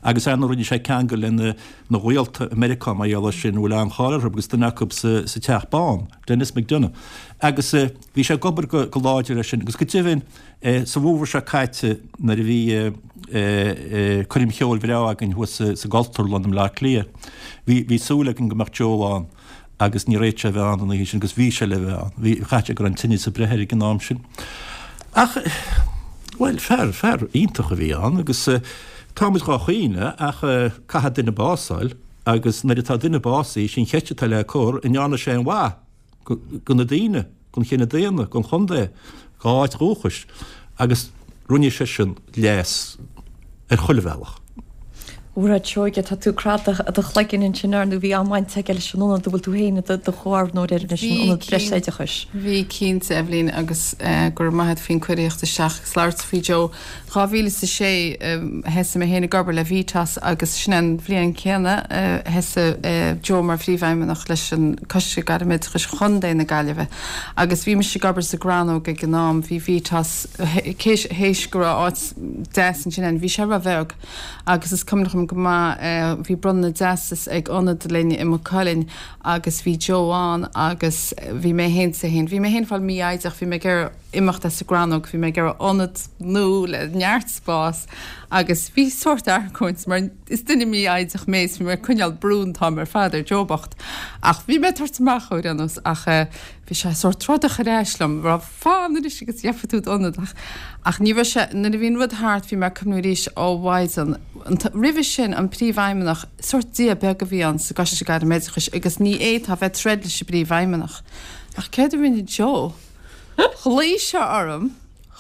Agus ar ndóigh rinne sé ceangal lena na ghaolta i Meiriceá mar gheall air sin, a bhfuil an-cháil orthu agus duine acu sa Teach Bán, Denis McDonough. Agus bhí sé ag obair go láidir air sin. Agus go deimhin, sa bhfómhar seo caite nuair a bhí coirm cheoil bhreá againn thuas sa gCultúrlann i mBleá Cliath, bhí súil againn go mbeadh Joe ann agus níor fhéad sé a bheith ann an oíche sin agus bhí sé le bheith ann. Bhí, chaith sé go raibh an tinneas ag breith air ag an am sin. Ach, bhuel, fear, fear iontach a bhí ann agus táimid dhá chaoineadh ach caithfidh duine bás a fháil agus nuair atá duine básaithe, sin cheist atá le cur, an ndearna sé aon mhaith do na daoine, don chine daonna, don chontae, dá áit dhúchais agus rinne seisean leas ar chuile bhealach. A Mhairéad Seoige, tá tú ag screadadh do chloiginn ansin, ar ndóigh bhí an-bhaint aige leis an ionad a bhfuil tú féin i do ghobharnóir air anois, an Ionad Breisoideachais. Bhí, cinnte, Eibhlín, agus go raibh maith agat faoin cuireadh a theacht isteach agus labhairt faoi Joe. 2006 thosaigh mé féin ag obair le Vstas agus sin an bhliain chéanna a thosaigh Joe mar phríomhfheidhmeannach leis an Coiste Gairmoideachais Chontae na Gaillimhe agus bhí mise ag obair sa gCrannóg ag an am, bhí Vstas théis go raibh áit deas ansin ann, bhí sé róbheag agus is cuimhin liom go maith bhí bronnadh na dteastas ag ionad linn i Maigh Cuilinn agus bhí Joe ann agus bhí mé féin sa féin, bhí mé féin ag fáil mífhoighdeach, bhí mé ag iarraidh imeacht as an gCrannóg, bhí mé ag iarraidh ionad nua le neart spás agus bhí sórt argóint mar is duine mífhoighdeach mé is bhí mé ag coinneáil brú an t-am ar fad ar Joe bocht ach bhí mé ag tabhairt amach ar aon nós ach bhí sé sórt trodach ar ais liom rá fan anois agus gheobhaidh tú d'ionad ach ach ní raibh sé nuair a bhí an rud thart bhí mé ag cuimhniú arís ó mhaighdean roimhe sin an príomhfheidhmeannach sórt dia beag a bhí ann sa gCoiste Gairmoideachais agus ní fhéadfá bheith troid leis an bpríomhfheidhmeannach ach céard a rinne Joe? Ghlaoigh sé orm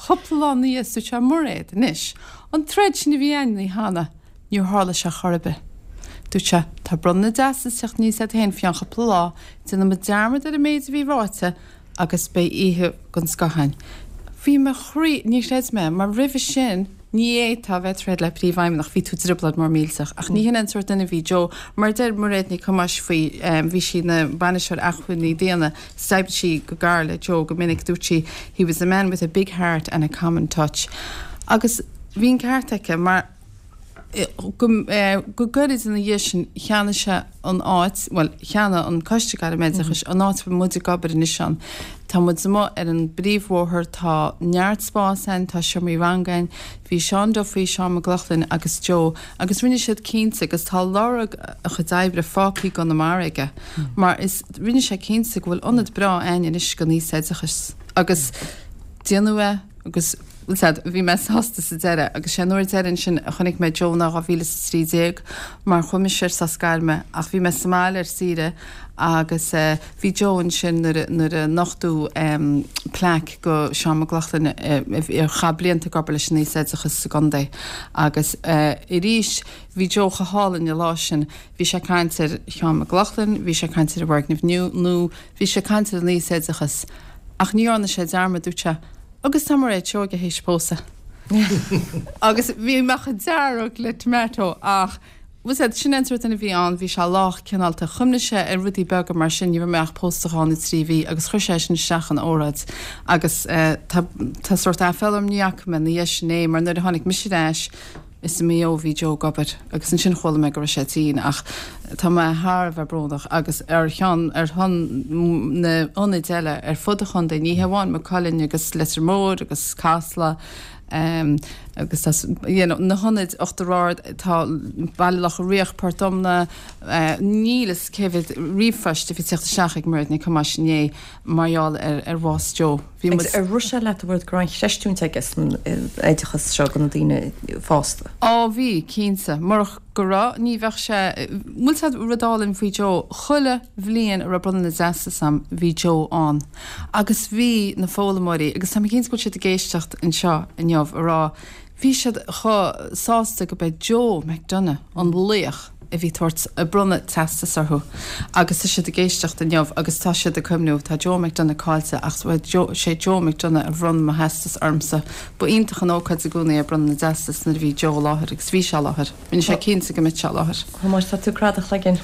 cúpla lá ina dhiaidh is dúirt sé, Mairéad, anois, an troid sin a bhí againn cheana, níor tharla sé chor ar bith. Dúirt sé, tá bronnadh na dteastas ag teacht aníos agat féin faoi cheann cúpla lá, déanfaidh muid dearmad ar an méid a bhí ráite agus beidh oíche den scoth againn. Bhí mo chroí, níor chreid mé, mar roimhe sin, ní fhéadfá a bheith ag troid le príomhfheidhmeannach, bhí tú i dtrioblóid mór millteach. Ach ní hin an sórt duine a bhí Joe. Mar a deir Mairéad Ní Chumáis faoi, bhí sí ina bainisteoir acmhainní daonna, D'oibrigh sí go gar le Joe go minic. Dúirt sí, He was a man with a big heart and a common touch. Agus bhí an ceart aici mar go gairid ina dhiaidh sin cheannaigh sé an áit, bhuel, cheannaigh an Coiste Gairmoideachais an áit a bhfuil muid ag obair anois ann. Tá muid amuigh ar an bpríomhbhóthar, tá neart spáis ann, tá seomraí ranga ann. Bhí Seán Duffy, Seán Mac Lochlainn agus Joe agus rinne siad cinnte agus tá lorg a chuid oibre fágtha i gConamara aige mar is rinne sé cinnte go bhfuil ionad breá againn anois don aosoideachas agus déanadh é agus bhuel bhí mé sásta sa deireadh agus sé an uair deireadh ansin a chonaic mé Joe ná 2013 mar chuaigh mise ar sos gairme ach bhí mé sa mbaile ar saoire agus bhí Joe ansin nuair a nuair a nochtadh plaic go Seán Mac Lochlainn a chaith blianta ag obair leis an aosoideachas sa gcontae agus arís bhí Joe chomh hálainn an lá sin Bhí sé ag caint ar Sheán Mac Lochlainn, bhí sé ag caint ar an bhfoirgneamh nua, bhí sé ag caint ar an aosoideachas. Ach ní dhearna sé dearmad, dúirt sé, agus tá Mairéad Seoige théis pósadh. Agus bhí mé chomh dearg le tomato ach bhfuil a fhios agat, sin é an sórt duine a bhí ann, bhí sé lách cineálta, chuimhnigh sé ar rudaí beaga mar sin, ní raibh mé ach pósta dhó nó 3 mhí agus chuir sé sin isteach ina óráid agus tá tá sórt aiféala orm ní fhaca mé ina dhiaidh sin é mar nuair a tháinig mise ar ais is i Maigh Eo a bhí Joe ag obair agus ansin chuala mé go raibh sé tinn ach tá mé thar a bheith brónach agus ar cheann ar shon na n-ionaid eile ar fud an chontae, ní hé amháin Maigh Cuilinn agus Leitir Móir agus Casla agus tá you know na hionaid Uachtar Ard, tá Baile Locha Riach, Port Omna, níl fhios cé mhéad ríomhphoist a bhí ag teacht isteach ag Mairéad Nic Thomáis inné mar gheall ar ar bhás Joe. Bhí muid. Agus ar rith sé leat a bhfuil go raibh an chreistiúint aige san oideachas seo do na daoine fásta? Á bhí, cinnte. Murach go raibh, ní bheadh sé, bhfuil fhios agat rud álainn faoi Joe, chuile bhliain a raibh bronnadh na dteastas a'm, bhí Joe ann. Agus bhí na foghlaimeoirí, agus tá mé cinnte go bhfuil siad ag éisteacht anseo inniu, a rá, Bhí siad chomh sásta go b'é Joe McDonagh an laoch a bhí tabhairt ag bronnadh teastas orthu agus tá siad ag éisteacht inniu agus tá siad ag cuimhniú, tá Joe McDonagh caillte ach sé Joe McDonagh a bhronn mo theastas ormsa. Ba iontach an ócáid i gcónaí é bronnadh na dteastas nuair a bhí Joe i láthair agus bhí sé i láthair. Rinne sé cinnte go mbeadh sé i láthair. Thomáis, tá tú ag cradadh a chloiginn.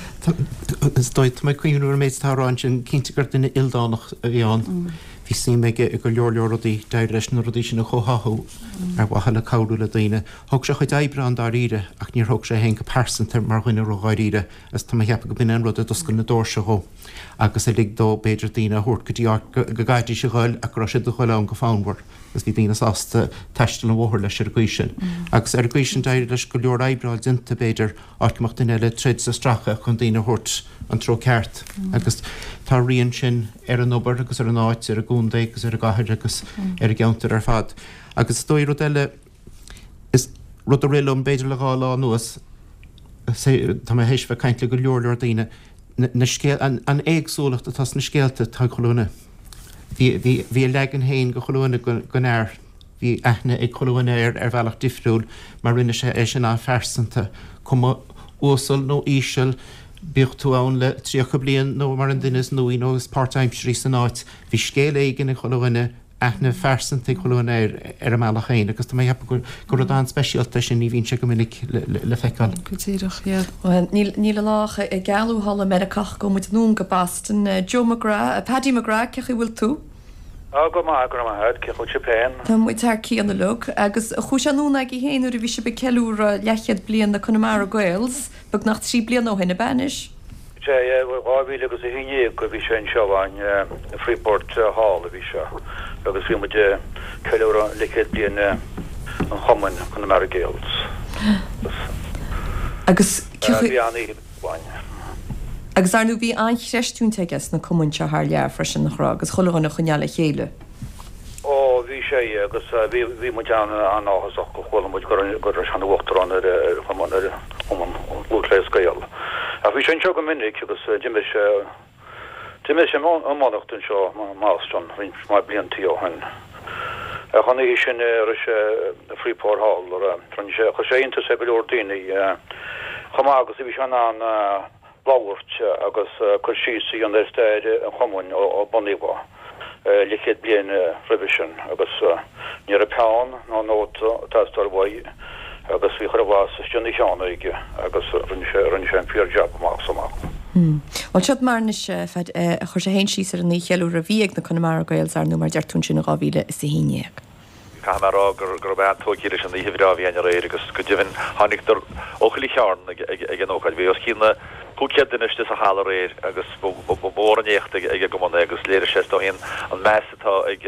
Is dóigh, tá mé ag cuimhniú ar an méid atá á rá ansin, cinnte gur duine ildánach a bhí ann. Bhí suim aige i go leor leor rudaí, d'éirigh leis na rudaí sin a chomhtháthú ar mhaithe le cabhrú le daoine. Thóg sé a chuid oibre an-dáiríre ach níor thóg sé é féin go pearsanta mar dhuine ró-dháiríre agus tá mé ag ceapadh go b'in é an rud a d'oscail na doirse dhó agus a lig dó b'fhéidir daoine a thabhairt go dtí áit go gcaithfidís a ghoil ach go raibh siad ag goil ann go fonnmhar agus bhí daoine sásta taisteal an bhóthair leis ar an gcaoi sin. Agus ar an gcaoi sin d'éirigh leis go leor oibre a fháil déanta b'fhéidir áit go mbeadh duine eile ag troid is ag stracadh chun daoine a thabhairt an treo ceart agus tá a rian sin ar an obair agus ar an áit, ar an gcontae agus ar an gcathair agus ar an gceantar ar fad. Agus is dóigh rud eile, is rud a rith liom b'fhéidir le dhá lá anuas, tá mé théis bheith ag caint le go leor leor daoine, na scéal, an éagsúlacht atá sna scéalta atá ag chuile dhuine. Bhí, bhí, bhí a leagan féin go chuile dhuine den fhear. Bhí aithne ag chuile dhuine air ar bhealach difriúil mar rinne sé é sin an-phearsanta. Cuma uasal nó íseal, bíodh tú ann le 30 bliain nó mar an duine is nuaí nó is páirtaimsirí san áit, bhí scéal éigin ag chuile dhuine, aithne phearsanta ag chuile dhuine air ar a mbealach féin agus tá mé ag ceapadh gur rud an-speisialta é sin, ní bhíonn sé go minic le feiceáil. Go díreach, yeah. Bhuel, níl an lá ach ag gealú thall i Meiriceá ach gabhfaidh muid anonn go Boston. Joe McGrath, Paddy McGrath, cén chaoi a bhfuil tú? Á, go maith, go raibh maith agat. Cén chaoi a bhfuil sibh féin? Tá muid thar cionn uilig. Agus chuaigh sé anonn agaibh féin nuair a bhí sibh ag ceiliúradh leathchéad bliain na Connemara Gaels, beagnach 3 bliana ó shin, ab ea anois? Sea, yeah, 2000 agus 11 a bhí sé anseo againn, i Freeport Hall a bhí sé, agus bhí muid ag ceiliúradh leathchéad bliain an chumainn, Connemara Gaels. Agus cén chaoi. Bhí an-oíche againn. Agus ar ndóigh bhí an-chreistiúint aige sna cumainn seo thar lear freisin, nach raibh, agus chuile dhuine a choinneáil le chéile. Ó, bhí sé, agus bhí, bhí muid an-áthasach go chuala muid go raibh, go raibh sé ina uachtarán ar, ar chumann, ar Chumann Lúthchleas Gael. Ach bhí sé anseo go minic agus d'imir sé, d'imir sé iománaíocht anseo i mBoston roinnt mhaith bliantaí ó shin. Ach an oíche sin a raibh sé i Freeport Hall, rinne sé, chuir sé iontas ar go leor daoine chomh maith agus a bhí sé in ann labhairt agus cur síos a dhéanamh ar stair an chumainn ó bunaíodh é leathchéad bliain roimhe sin agus ní raibh peann ná nóta ag teastáil uaidh agus bhí chuile bhlas istigh ina cheann aige agus rinne sé, rinne sé an fíor jab amach is amach. Bhuel, seo mar anois a chuir sé féin síos ar an oíche cheiliúrtha a bhí ag na Connemara Gaels, ar ndóigh, mar a deir tú ansin in 2011. Caithfidh mé a rá go raibh mé an-tógtha leis an oíche bhreá a bhí againn aréir agus go deimhin tháinigeadar ó chuile chearn ag an ócáid. Bhí os cionn 500 duine istigh sa halla aréir agus ba mhór an éacht ag an gcumann é agus léirigh sé is dóigh an meas atá ag,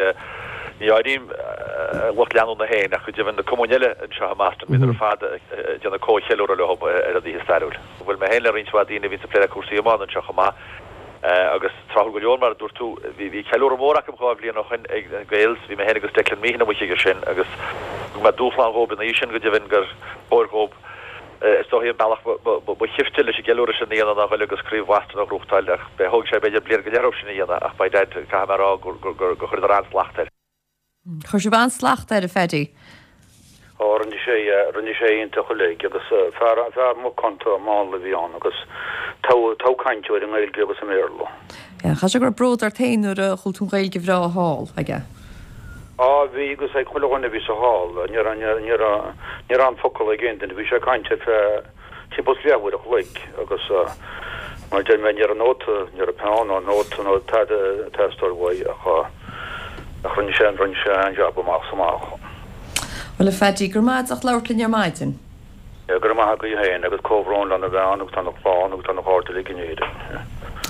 ní áirím a lucht leanúna féin ach go deimhin na cumainn eile anseo i mBoston, bhíodar ar fad ag déanamh comhcheiliúradh leo ar an oíche stairiúil. Bhuail mé féin le roinnt mhaith daoine a bhíonns ag plé le cúrsaí iomána anseo chomh maith agus tráthúil go leor mar a dúirt tú, bhí ceiliúradh mór acu dhá bhliain ó shoin ag na Gaels, bhí mé féin agus Declan Meehan amuigh chuige sin agus thug mé dúshlán dhóibh an oíche sin go deimhin gur chóir dhóibh is dóichí an bealach ba shifte leis an gceiliúradh sin a dhéanamh ná ghoil agus Craobh Bhoston a ghnóthachtáil ach thóg sé b'fhéidir bliain go leith orthu sin a dhéanamh ach by dad caithfidh mé a rá gur chuireadar an-slacht air. Chuir sibh an-slacht air, a Phaddy. Ó, rinne sé, rinne sé iontach uilig agus fear, fear macánta mánla a bhí ann agus togha, togha cainteoir i nGaeilge agus i mBéarla. Yeah, chaithfidh sé go raibh bród ort féin nuair a chuala tú an Ghaeilge bhreá thall aige. Á, bhí agus ag chuile dhuine a bhí sa hall. Ní raibh, ní raibh, ní raibh aon focal ag aon duine. Bhí sé ag caint ar feadh timpeall is leathuair a chloig agus mar a deir mé, ní raibh nóta, ní raibh peann ná nóta nó tada ag teastáil uaidh ach, ach rinne sé, rinne sé an-jab amach is amach. Bhuel, a Phaddy, go raibh maith agat as labhairt linn ar maidin. Go raibh maith agaibh féin agus comhbhrón lena bhean agus lena chlann agus lena chairde uilig in Éirinn.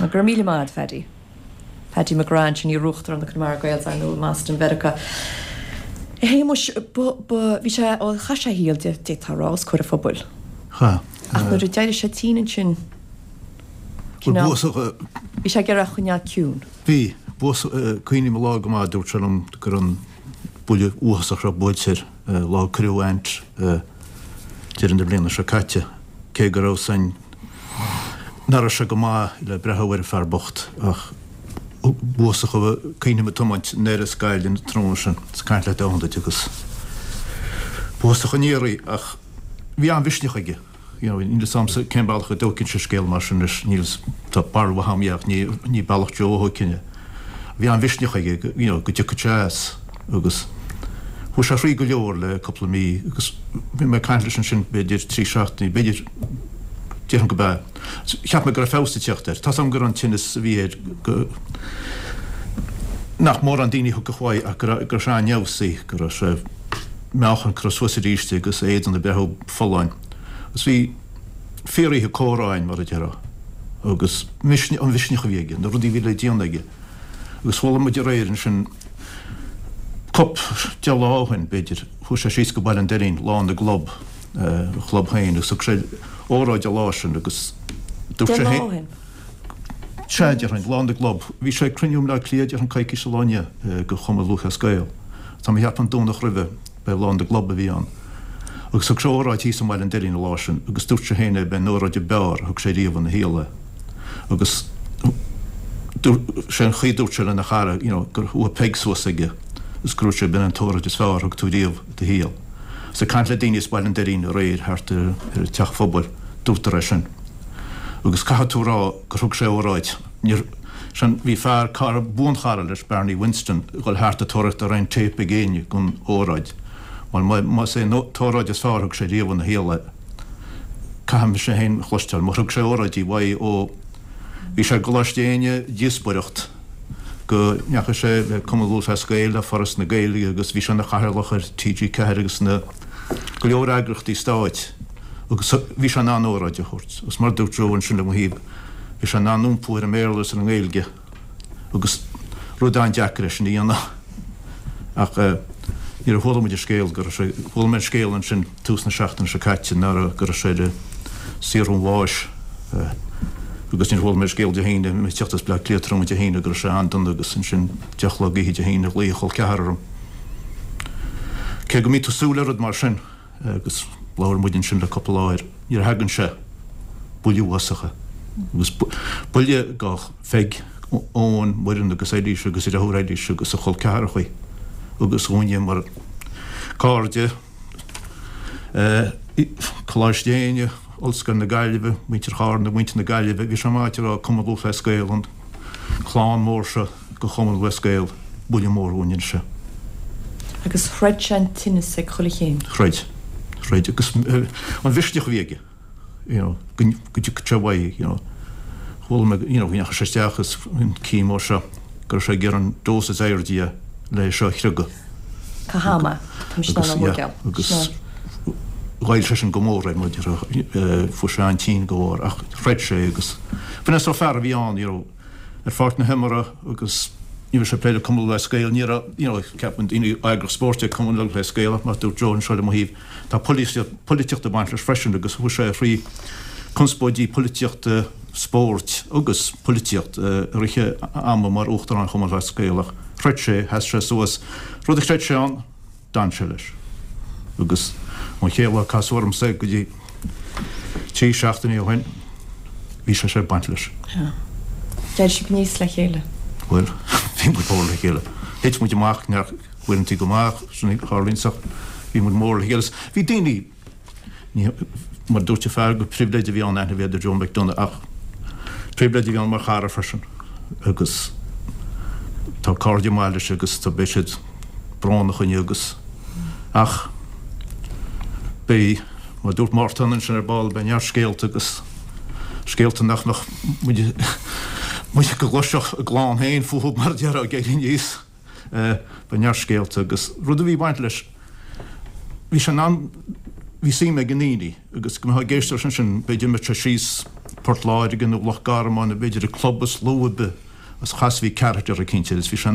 Go raibh míle maith agat, Phaddy. Paddy McGrath ansin, iar-uachtarán na Connemara Gaels, ar ndóigh, i mBoston, Mheiriceá. A Shéamuis, ba, ba, bhí sé, ó, chaith sé a shaol, d'fhéadfá a rá, os comhair an phobail. Chaith. Ach nuair a d'éirigh sé tinn ansin, cineál, bhí sé ag iarraidh a choinneáil ciúin. Bhí. Cuimhním an lá go maith, dúirt sé liom go raibh an buille uafásach seo buailte air. Lá a cuireadh a aint deireadh na bliana seo caite, cé go raibh san nach raibh sé go maith le breathú ar an fear bocht ach b'uafásach a cuimhním ag tiomáint anoir as Gaillimh an tráthnóna sin is ag caint leat ó shin duit agus b'uafásach an iarraidh ach bhí an-mhisneach aige. You know, níl 'fhios a'msa cén bealach a dtógfainnse scéal mar sin anois, níl, tá barúil mhaith a'm é ach ní, ní bealach Joe a thógfainn é. Bhí an-mhisneach aige go, you know, go dtiocfadh sé as agus chuaigh sé thrí go leor le cúpla mí agus bhí mé ag caint leis ansin b'fhéidir trí seachtainí, b'fhéidir, déarfainn go b'ea. Cheap mé go raibh feabhas ag teacht air. Tá's a'm go raibh an tinneas a bhí air go, nach mórán daoine a thiocfadh uaidh ach go raibh, go raibh sé an-fheabhsaithe, go raibh sé, meáchan curtha suas arís agus a éadan ag breathú folláin. Agus bhí fíoroíche comhrá againn, mar a déarfá, agus an mhisneach a bhí aige, na rudaí a bhí le déanamh aige. Agus chuala muid aréir ansin, cúp, deich lá ó shin, b'fhéidir, chuaigh sé síos go Baile an Doirín, Lá na gClub, a chlub féin, agus thug sé óráid an lá sin agus dúirt sé féin. Sea, déarfainn, Lá na gClub. Bhí sé ag cruinniú i mBleá Cliath, déarfainn, coicís ó lá inniu, do Chumann Lúthchleas Gael. Tá mé a cheapadh an Domhnach roimhe, b'é Lá na gClub a bhí ann. Agus thug sé óráid thíos i mBaile an Doirín an lá sin, agus dúirt sé féin é, b'é an óráid ab fhearr a thug sé riamh ina shaol é. Agus dúirt sé an chaoi a dúirt sé lena chara, you know, gur chuaigh peig suas aige, agus gur dúirt sé, b'in an t-óráid is fearr a thug tú riamh i do shaol. Agus ag caint le daoine as Baile an Doirín aréir thart ar an teach phobail, dúrtar é sin. Agus caithfidh tú a rá gur thug sé óráid. Níor, sin, bhí fear, cara, buanchara leis, Barney Winston, ag dul thart ag tóraíocht an raibh aon téip ag éinne den óráid. Bhuel, má, más é an t-óráid is fearr a thug sé riamh ina shaol é, caithfidh mise féin a chloisteáil. Mar thug sé óráidí mhaith ó bhí sé i gColáiste Éinne, díospóireacht, go ndeachaigh sé le Cumann Lúthchleas Gael, le Foras na Gaeilge agus bhí sé ina chathaoirleach ar TG4 agus na go leor eagraíochtaí stáit. Agus bhí sé in ann óráid a thabhairt. Agus mar a dúirt Joe ansin le mo thaobh, bhí sé in ann iompú ar an mBéarla agus ar an nGaeilge agus rud an-deacair é sin a dhéanamh. Ach nuair a chuala muid an scéal go raibh sé, chuala mé an scéal ansin tús na seachtaine seo caite, ná raibh, go raibh sé ar saothar an bháis agus nuair a chuala mé an scéal Dé hAoine, mé ag teacht as Bleá Cliath tráthnóna Dé hAoine go raibh sé an-dona agus ansin deich a chlog oíche Dé hAoine ghlaoigh a chol ceathar orm. Cé go mbíonn tú ag súil le rud mar sin, Agus labhair muid ansin le cúpla lá air, nuair a thagann sé, buille uafásach é. Agus buille do Pheig, Eoin, Muireann agus Eilís agus a deartháir Eilís agus a chol ceathrachaí agus dhúinne mar cairde, Coláiste Éinne, Ollscoil na Gaillimhe, muintir Charna, muintir na Gaillimhe, bhí sé maith a rá Cumann Lúthchleas Gael, an clann mór seo. Do Chumann Lúthchleas Gael, buille mór dhúinn anois. Agus throid sé an tinneas ag chuile chéim. Throid. Throid. Agus an mhisneach a bhí aige, you know, go dtiocfadh sé uaidh, you know. Chuala mé, you know, go ndeachaigh sé isteach is an chemo seo, go raibh sé ag iarraidh an dose is airde é le é seo a chriogadh. Cá ham é? Tá mise in ann a thógáil. Agus ghoill sé sin go mór air, mar fuair sé an-tinn dá bharr ach throid sé agus b'in é an sórt fear a bhí ann, you know. ar pháirc na himeartha agus ní raibh sé ag plé le Cumann Lúthchleas Gael, ní raibh, you know, ceapann daoine eagraíocht spóirt é Cumann Lúthchleas Gael ach mar a dúirt Joe anseo le mo thaobh, tá polaitíocht ag baint leis freisin agus chuaigh sé thrí conspóidí polaitíochta spóirt agus polaitíocht i rith a ama mar Uachtarán Chumann Lúthchleas Gael ach throid sé, sheas sé suas, rud a chreid sé ann. D'fhan sé leis. Agus ón chéad lá a casadh ormsa go dtí trí seachtainí ó shin, bhí sé ag baint leis. D'éirigh sibh aníos le chéile? Bhuel, bhí muid mór le chéile. Thit muid amach, neart uaireantaí go maith, sin a tharlaíonn ach bhí muid mór le chéile. Bhí daoine, ní, mar a dúirt an fear, gur pribhléid a bhí ann aithne a bheith ar Joe McDonagh ach pribhléid a bhí ann mar chara freisin. Agus tá cairde maith leis agus tá beidh siad brónach inniu agus ach beidh, mar a dúirt Mártan ansin ar ball, beidh neart scéalta agus scéalta nach mbeadh muid muid go gcloisfeadh a gclann féin fúthu mar a déarfá ag éirí aníos. Beidh neart scéalta agus rud a bhí ag baint leis, bhí sé in ann, bhí suim ag na ndaoine agus go mbeifeá ag éisteacht leis ansin, b'fhéidir go mbeadh sé síos Port Láirge nó Loch Garman nó b'fhéidir i club is lú ar bith agus chasfaí character eicínt air agus bhí sé,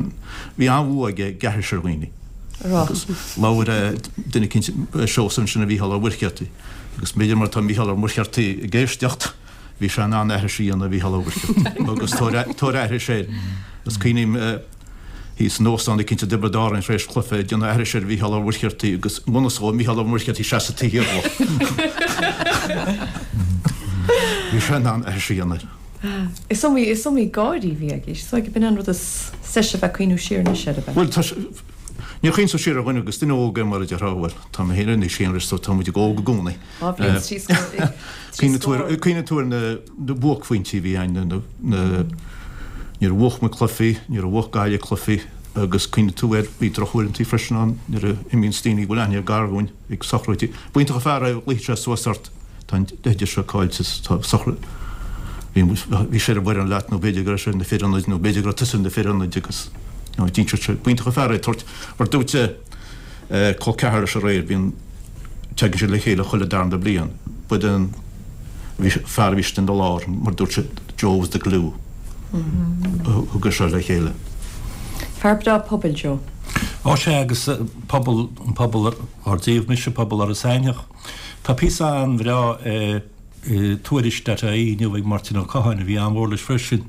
bhí an-bhua aige ag aithris ar dhaoine. Agus labhair duine eicínt, Seosamh ansin ar Mhícheál Ó Muircheartaigh agus b'fhéidir mar tá Mícheál Ó Muircheartaigh ag éisteacht, bhí sé in ann aithris a dhéanamh ar Mhícheál Ó Muircheartaigh agus tabhair aithris air. Is cuimhním thíos in óstán eicínt i dTiobraid Árann tar éis cluiche ag déanamh aithris ar Mhícheál Ó Muircheartaigh agus i ngan fhios dhó Mícheál Ó Muircheartaigh seasamh taobh thiar dhó. Bhí sé in ann aithris a dhéanamh air. Is iomaí, is iomaí gáirí a bhí aige. Is dóigh gurb in an rud is deise a bheith ag cuimhniú siar anois air, ab ea? Bhuel, tá sé, níor chuimhnigh tú siar ar dhuine agus duine óg é mar a déarfá, bhuel, tá mé féin anois féin anois, tá muid óg i gcónaí. 2 bhliain is 3 scór. Cuimhníonn tú ar na buaicphointí a bhí ann, nuair a bhuach muid cluichí, nuair a bhuach Gaillimh cluichí agus cuimhníonn tú ar, bhí drochuaireantaí freisin ann nuair a imíonns daoine a bhfuil aithne gar dhúinn ag sochraidí. B'iontach an fear é, ghlaofaidh sé suas ort, tá an oide seo caillte, tá sochraid, bhí bhí sé ar an bhfoireann leat nó b'fhéidir go raibh sé ar na fir ionaid nó b'fhéidir go raibh tusa ar na fir ionaid agus d'inseodh sé, b'iontach an fear é tabhairt, mar dúirt col ceathar leis aréir, bíonn, teagann siad le chéile chuile darna bliain. Ba é an fear a bhí istigh ina lár, mar dúirt siad, Joe was the glue a thug é seo le chéile. Fear breá pobail, Joe. Ó sea, agus pobal, an pobal ár dtaobh, mise, pobal Iorras Aithneach. Tá píosa an-bhreá i. i Tuairisc dot ie inniu ag Máirtín Ó Catháin, a bhí an-mhór leis freisin,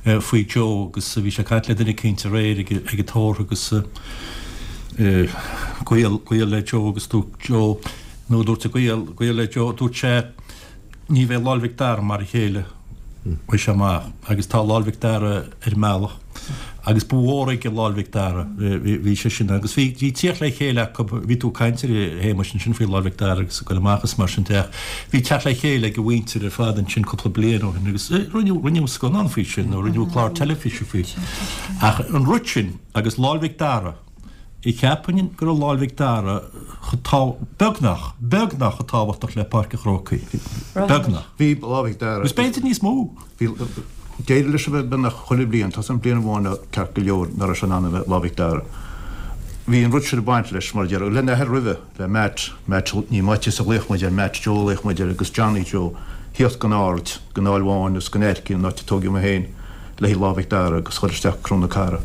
faoi Joe agus bhí sé ag caint le duine eicínt aréir ag an tórramh agus gaol, gaol le Joe agus dúirt Joe, nó dúirt an gaol, gaol le Joe, dúirt sé ní bheidh Lá'l Mhic Dara mar a chéile uaidh seo amach agus tá Lá'l Mhic Dara ar an mbealach agus ba mhór aige Lá'l Mhic Dara, bhí sé sin agus bhí tíocht le chéile acu, bhí tú ag caint ar a Shéamais ansin faoi Lá'l Mhic Dara agus ag goil amach is mar sin de ach bhí teacht le chéile ag a mhuintir ar fad ansin cúpla bliain ó shin agus rinneadh, rinneadh scannán faoi sin nó rinneadh clár teilifíse faoi. Ach an rud sin agus Lá'l Mhic Dara, Cheapfainn go raibh Lá'l Mhic Dara chomh tá, beagnach, beagnach chomh tábhachtach le Páirc an Chrócaigh. Beagnach. Bhí Lá Mhic Dara. Agus b'fhéidir níos mó. Bhí, d'éirigh leis a bheith beagnach chuile bhliain, tá an bliain amháin ceart go leor nach raibh sé in ann a bheith Lá Mhic Dara. Bhí an rud sin ag baint leis, mar a déarfá, lena athair roimhe, le Matt, Matt, ní Maitias a ghlaoch muid air, Matt Joe a ghlaoch muid air agus Johnny Joe, thíocht gon Aird, gon Aill Bháin agus gon Aircín, an áit a tóigeadh mé féin. le haghaidh Lá Mhic Dara agus dhul isteach Cró na Cara.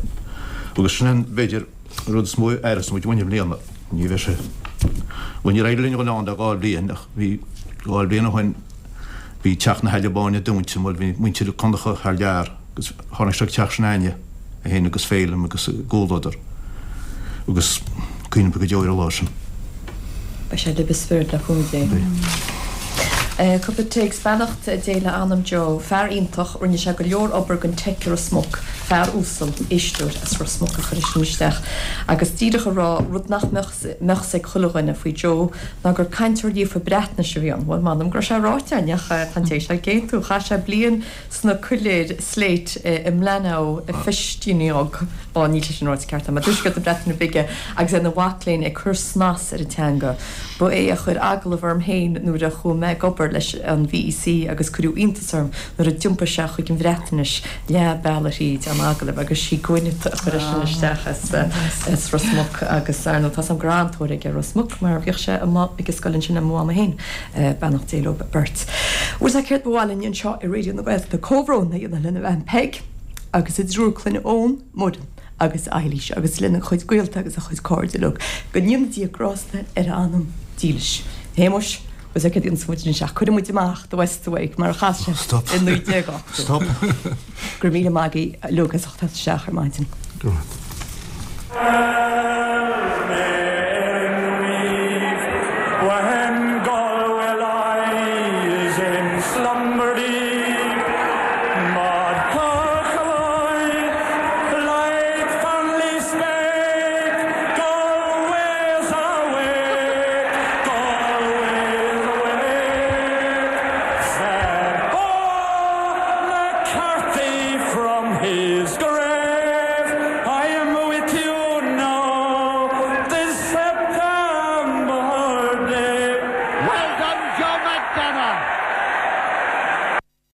Agus sin an, b'fhéidir, an rud is mó a aireos muid uainn i mbliana. Ní bheidh sé, bhuel níor éirigh linn dhul ann le dhá bhliain ach bhí, dhá bhliain ó shin bhí teach na hAille Báine dúnta mar bhí muintir Connacha thar lear agus tháinig sé go teach s'againne, é féin agus Féilim agus a gcomhluadar agus cuimhním go deo ar an lá sin. Beidh sé libh i spiorad le cúnamh Dé. Cúpla téacs, Beannacht Dé le anam Joe. Fear iontach, rinne sé go leor obair don Teic i Ros Muc. Fear uasal, éisteoir as Ros Muc a chuir é sin isteach. Agus díreach a rá, rud nach mbeadh mbeadh 's ag chuile dhuine faoi Joe ná gur cainteoir líofa Breatnaise a bhí ann. Bhuel, m'anam go raibh sé ráite againn ach tá an té seo ag aontú. Chaith sé bliain sna coiléir slate i mBlaenau Ffestiniog, ó níl sé sin ráite ceart agam, i dtuaisceart na Breataine Bige agus é ina mhac léinn ag cur snas ar an teanga. Ba é a chuir agallamh orm féin nuair a chuaigh mé ag obair leis an VEC agus cuireadh iontas orm nuair a d'iompaigh sé chuig an Bhreatnais leath bealaigh thríd an agallamh agus sí Gwyneth a chuir é sin isteach as Ros Muc agus ar ndóigh tá 's agam go raibh an-tóir aige ar Ros Muc mar bhíodh sé amuigh ag an scoil ansin le mo mhama féin. Beannacht Dé leo beirt. Bhuel sea céard ba mhaith linn anseo i Raidió na Gaeltachta comhbhrón a dhéanamh lena bhean Peig agus a dtriúr clainne Eoin, Muireann agus Eilís agus lena chuid gaolta agus a chuid cairde uilig. Go ndéana Dia grásta ar a anam dílis. A Shéamuis, bhuel sea céard a dhéanfas muid anois ach cuirfidh muid amach The West's Awake mar a chas sé i 1980. Stop. Go raibh míle maith agaibh uilig as ucht teacht isteach ar maidin. Go raibh. Is go.